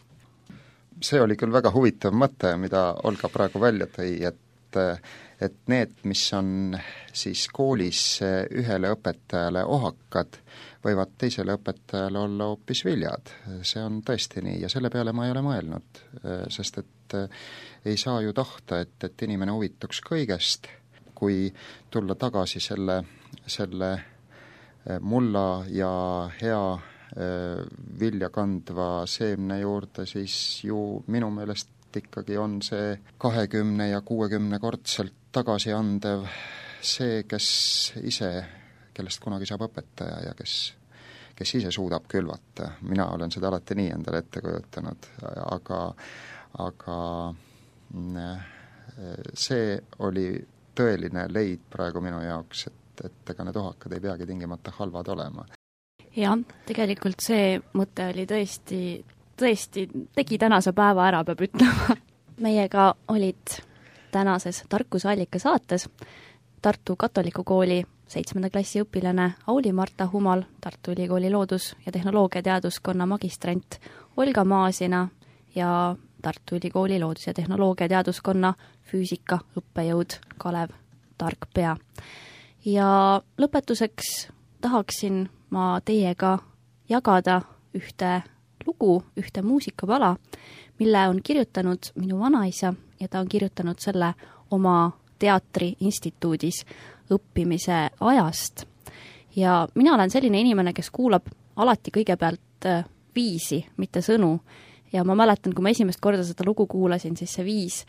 See oli küll väga huvitav mõte, mida Olga praegu välja tõi, et need, mis on siis koolis ühele õpetajale ohakad, võivad teisele õpetajale olla hoopis viljad. See on tõesti nii ja selle peale ma ei ole mõelnud, sest et ei saa ju tahta, et inimene huvituks kõigest. Kui tulla tagasi selle mulla ja hea vilja kandva seemne juurde, siis ju minu meelest ikkagi on see 20 ja 60 kordselt tagasi andev see, kellest kunagi saab õpetaja ja kes ise suudab külvata. Mina olen seda alati nii endale ette kujutanud, aga see oli tõeline leid praegu minu jaoks, et ega need ohakad ei peagi tingimata halvad olema. Jah, tegelikult see mõte oli tõesti tegi tänase päeva ära, peab ütlema. Meiega olid tänases Tarkusallika saates Tartu Katoliku Kooli 7. klassi õpilane Auli-Marta Humal, Tartu Ülikooli loodus- ja tehnoloogiateaduskonna magistrant Olga Maasina ja Tartu Ülikooli loodus- ja tehnoloogiateaduskonna füüsika õppejõud Kalev Tarkpea. Ja lõpetuseks tahaksin ma teiega jagada ühte lugu, ühte muusikapala, mille on kirjutanud minu vanaisa ja ta on kirjutanud selle oma teatriinstituudis õppimise ajast. Ja mina olen selline inimene, kes kuulab alati kõigepealt viisi, mitte sõnu. ja ma mäletan, kui ma esimest korda seda lugu kuulasin, siis see viis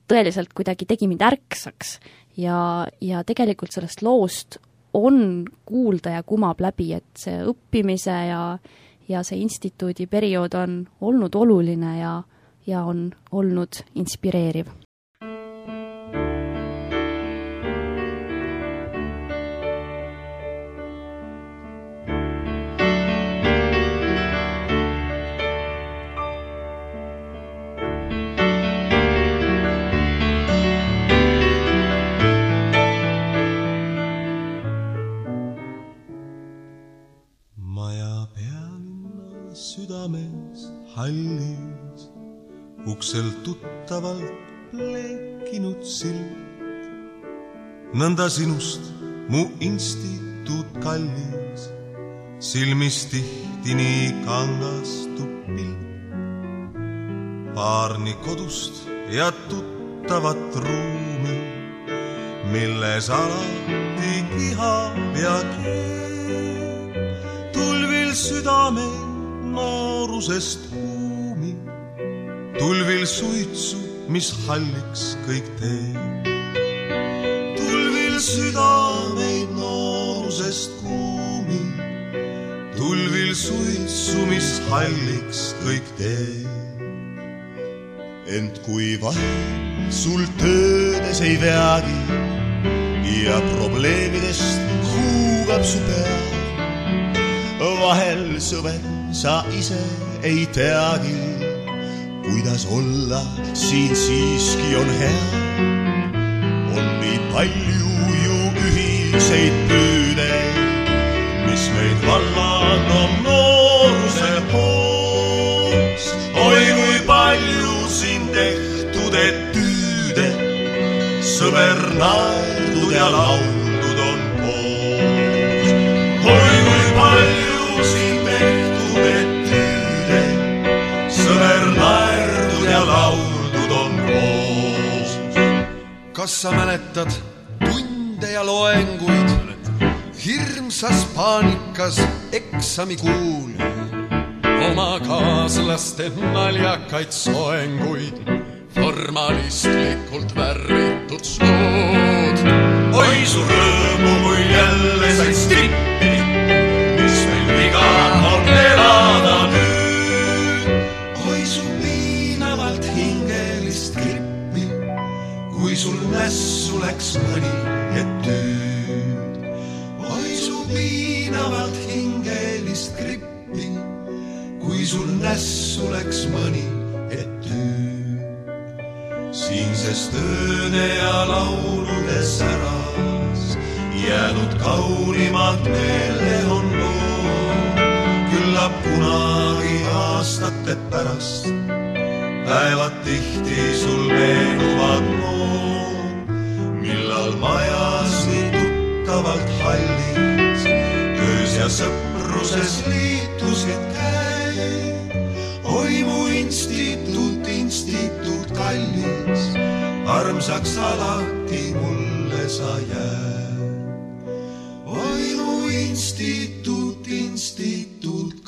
tõeliselt kuidagi tegi mind ärksaks ja tegelikult sellest loost on kuulda ja kumab läbi, et see õppimise ja see instituudi periood on olnud oluline ja on olnud inspireeriv. Hallis uksel tuttavalt plekinud silt. Nõnda sinust mu instituut kallis, silmis tihti nii kangastub pilt. Paar nii kodust ja tuttavat ruumi, milles alati kihab ja keeb. Tulvil südame noorusest kuumi, tulvil suitsu, mis halliks kõik teeb. Tulvil südameid noorusest kuumi, tulvil suitsu, mis halliks kõik teeb. Ent kui vahel sul töödes ei veagi ja probleemidest huugab su pea, vahel sõber sa ise ei teagi, kuidas olla siin siiski on hea. On nii palju ju ühiseid püüdeid, mis meid vallan on nooruse hoos. Oi, kui palju siin tehtud etüüde, sõber naerdud ja lauldud on koos. Oi, kui palju siin tehtud etüüde, sõber naerdud ja lauldud on koos. Kas sa mäletad tunde ja loenguid, hirmsas paanikas eksamikuul, oma kaaslaste naljakaid soenguid, formalistlikult värvitud suud? Oi, su rõõmu, kui jälle said strippi, mis meil viga on elada nüüd. Oi, su piinavalt hingelist grippi, kui sul nässu läks mõni etüüd. Oi, su piinavalt hingelist grippi, kui sul nässu läks mõni etüüd. Siinses tööde ja laulude säras jäänud kaunimad meelde on loo. Küllap kunagi aastate pärast päevad tihti sul meenuvad mood, millal majas nii tuttavalt hallis töös ja sõpruses liitusid käed. Oi, mu instituut kallis, armsaks alati mulle sa jääd. Oi, mu instituut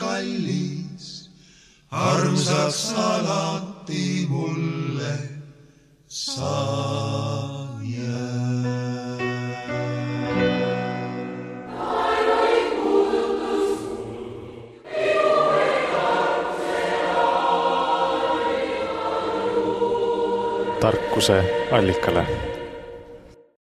kallis, armsaks alati mulle sa jääd. Tarkuse allikale.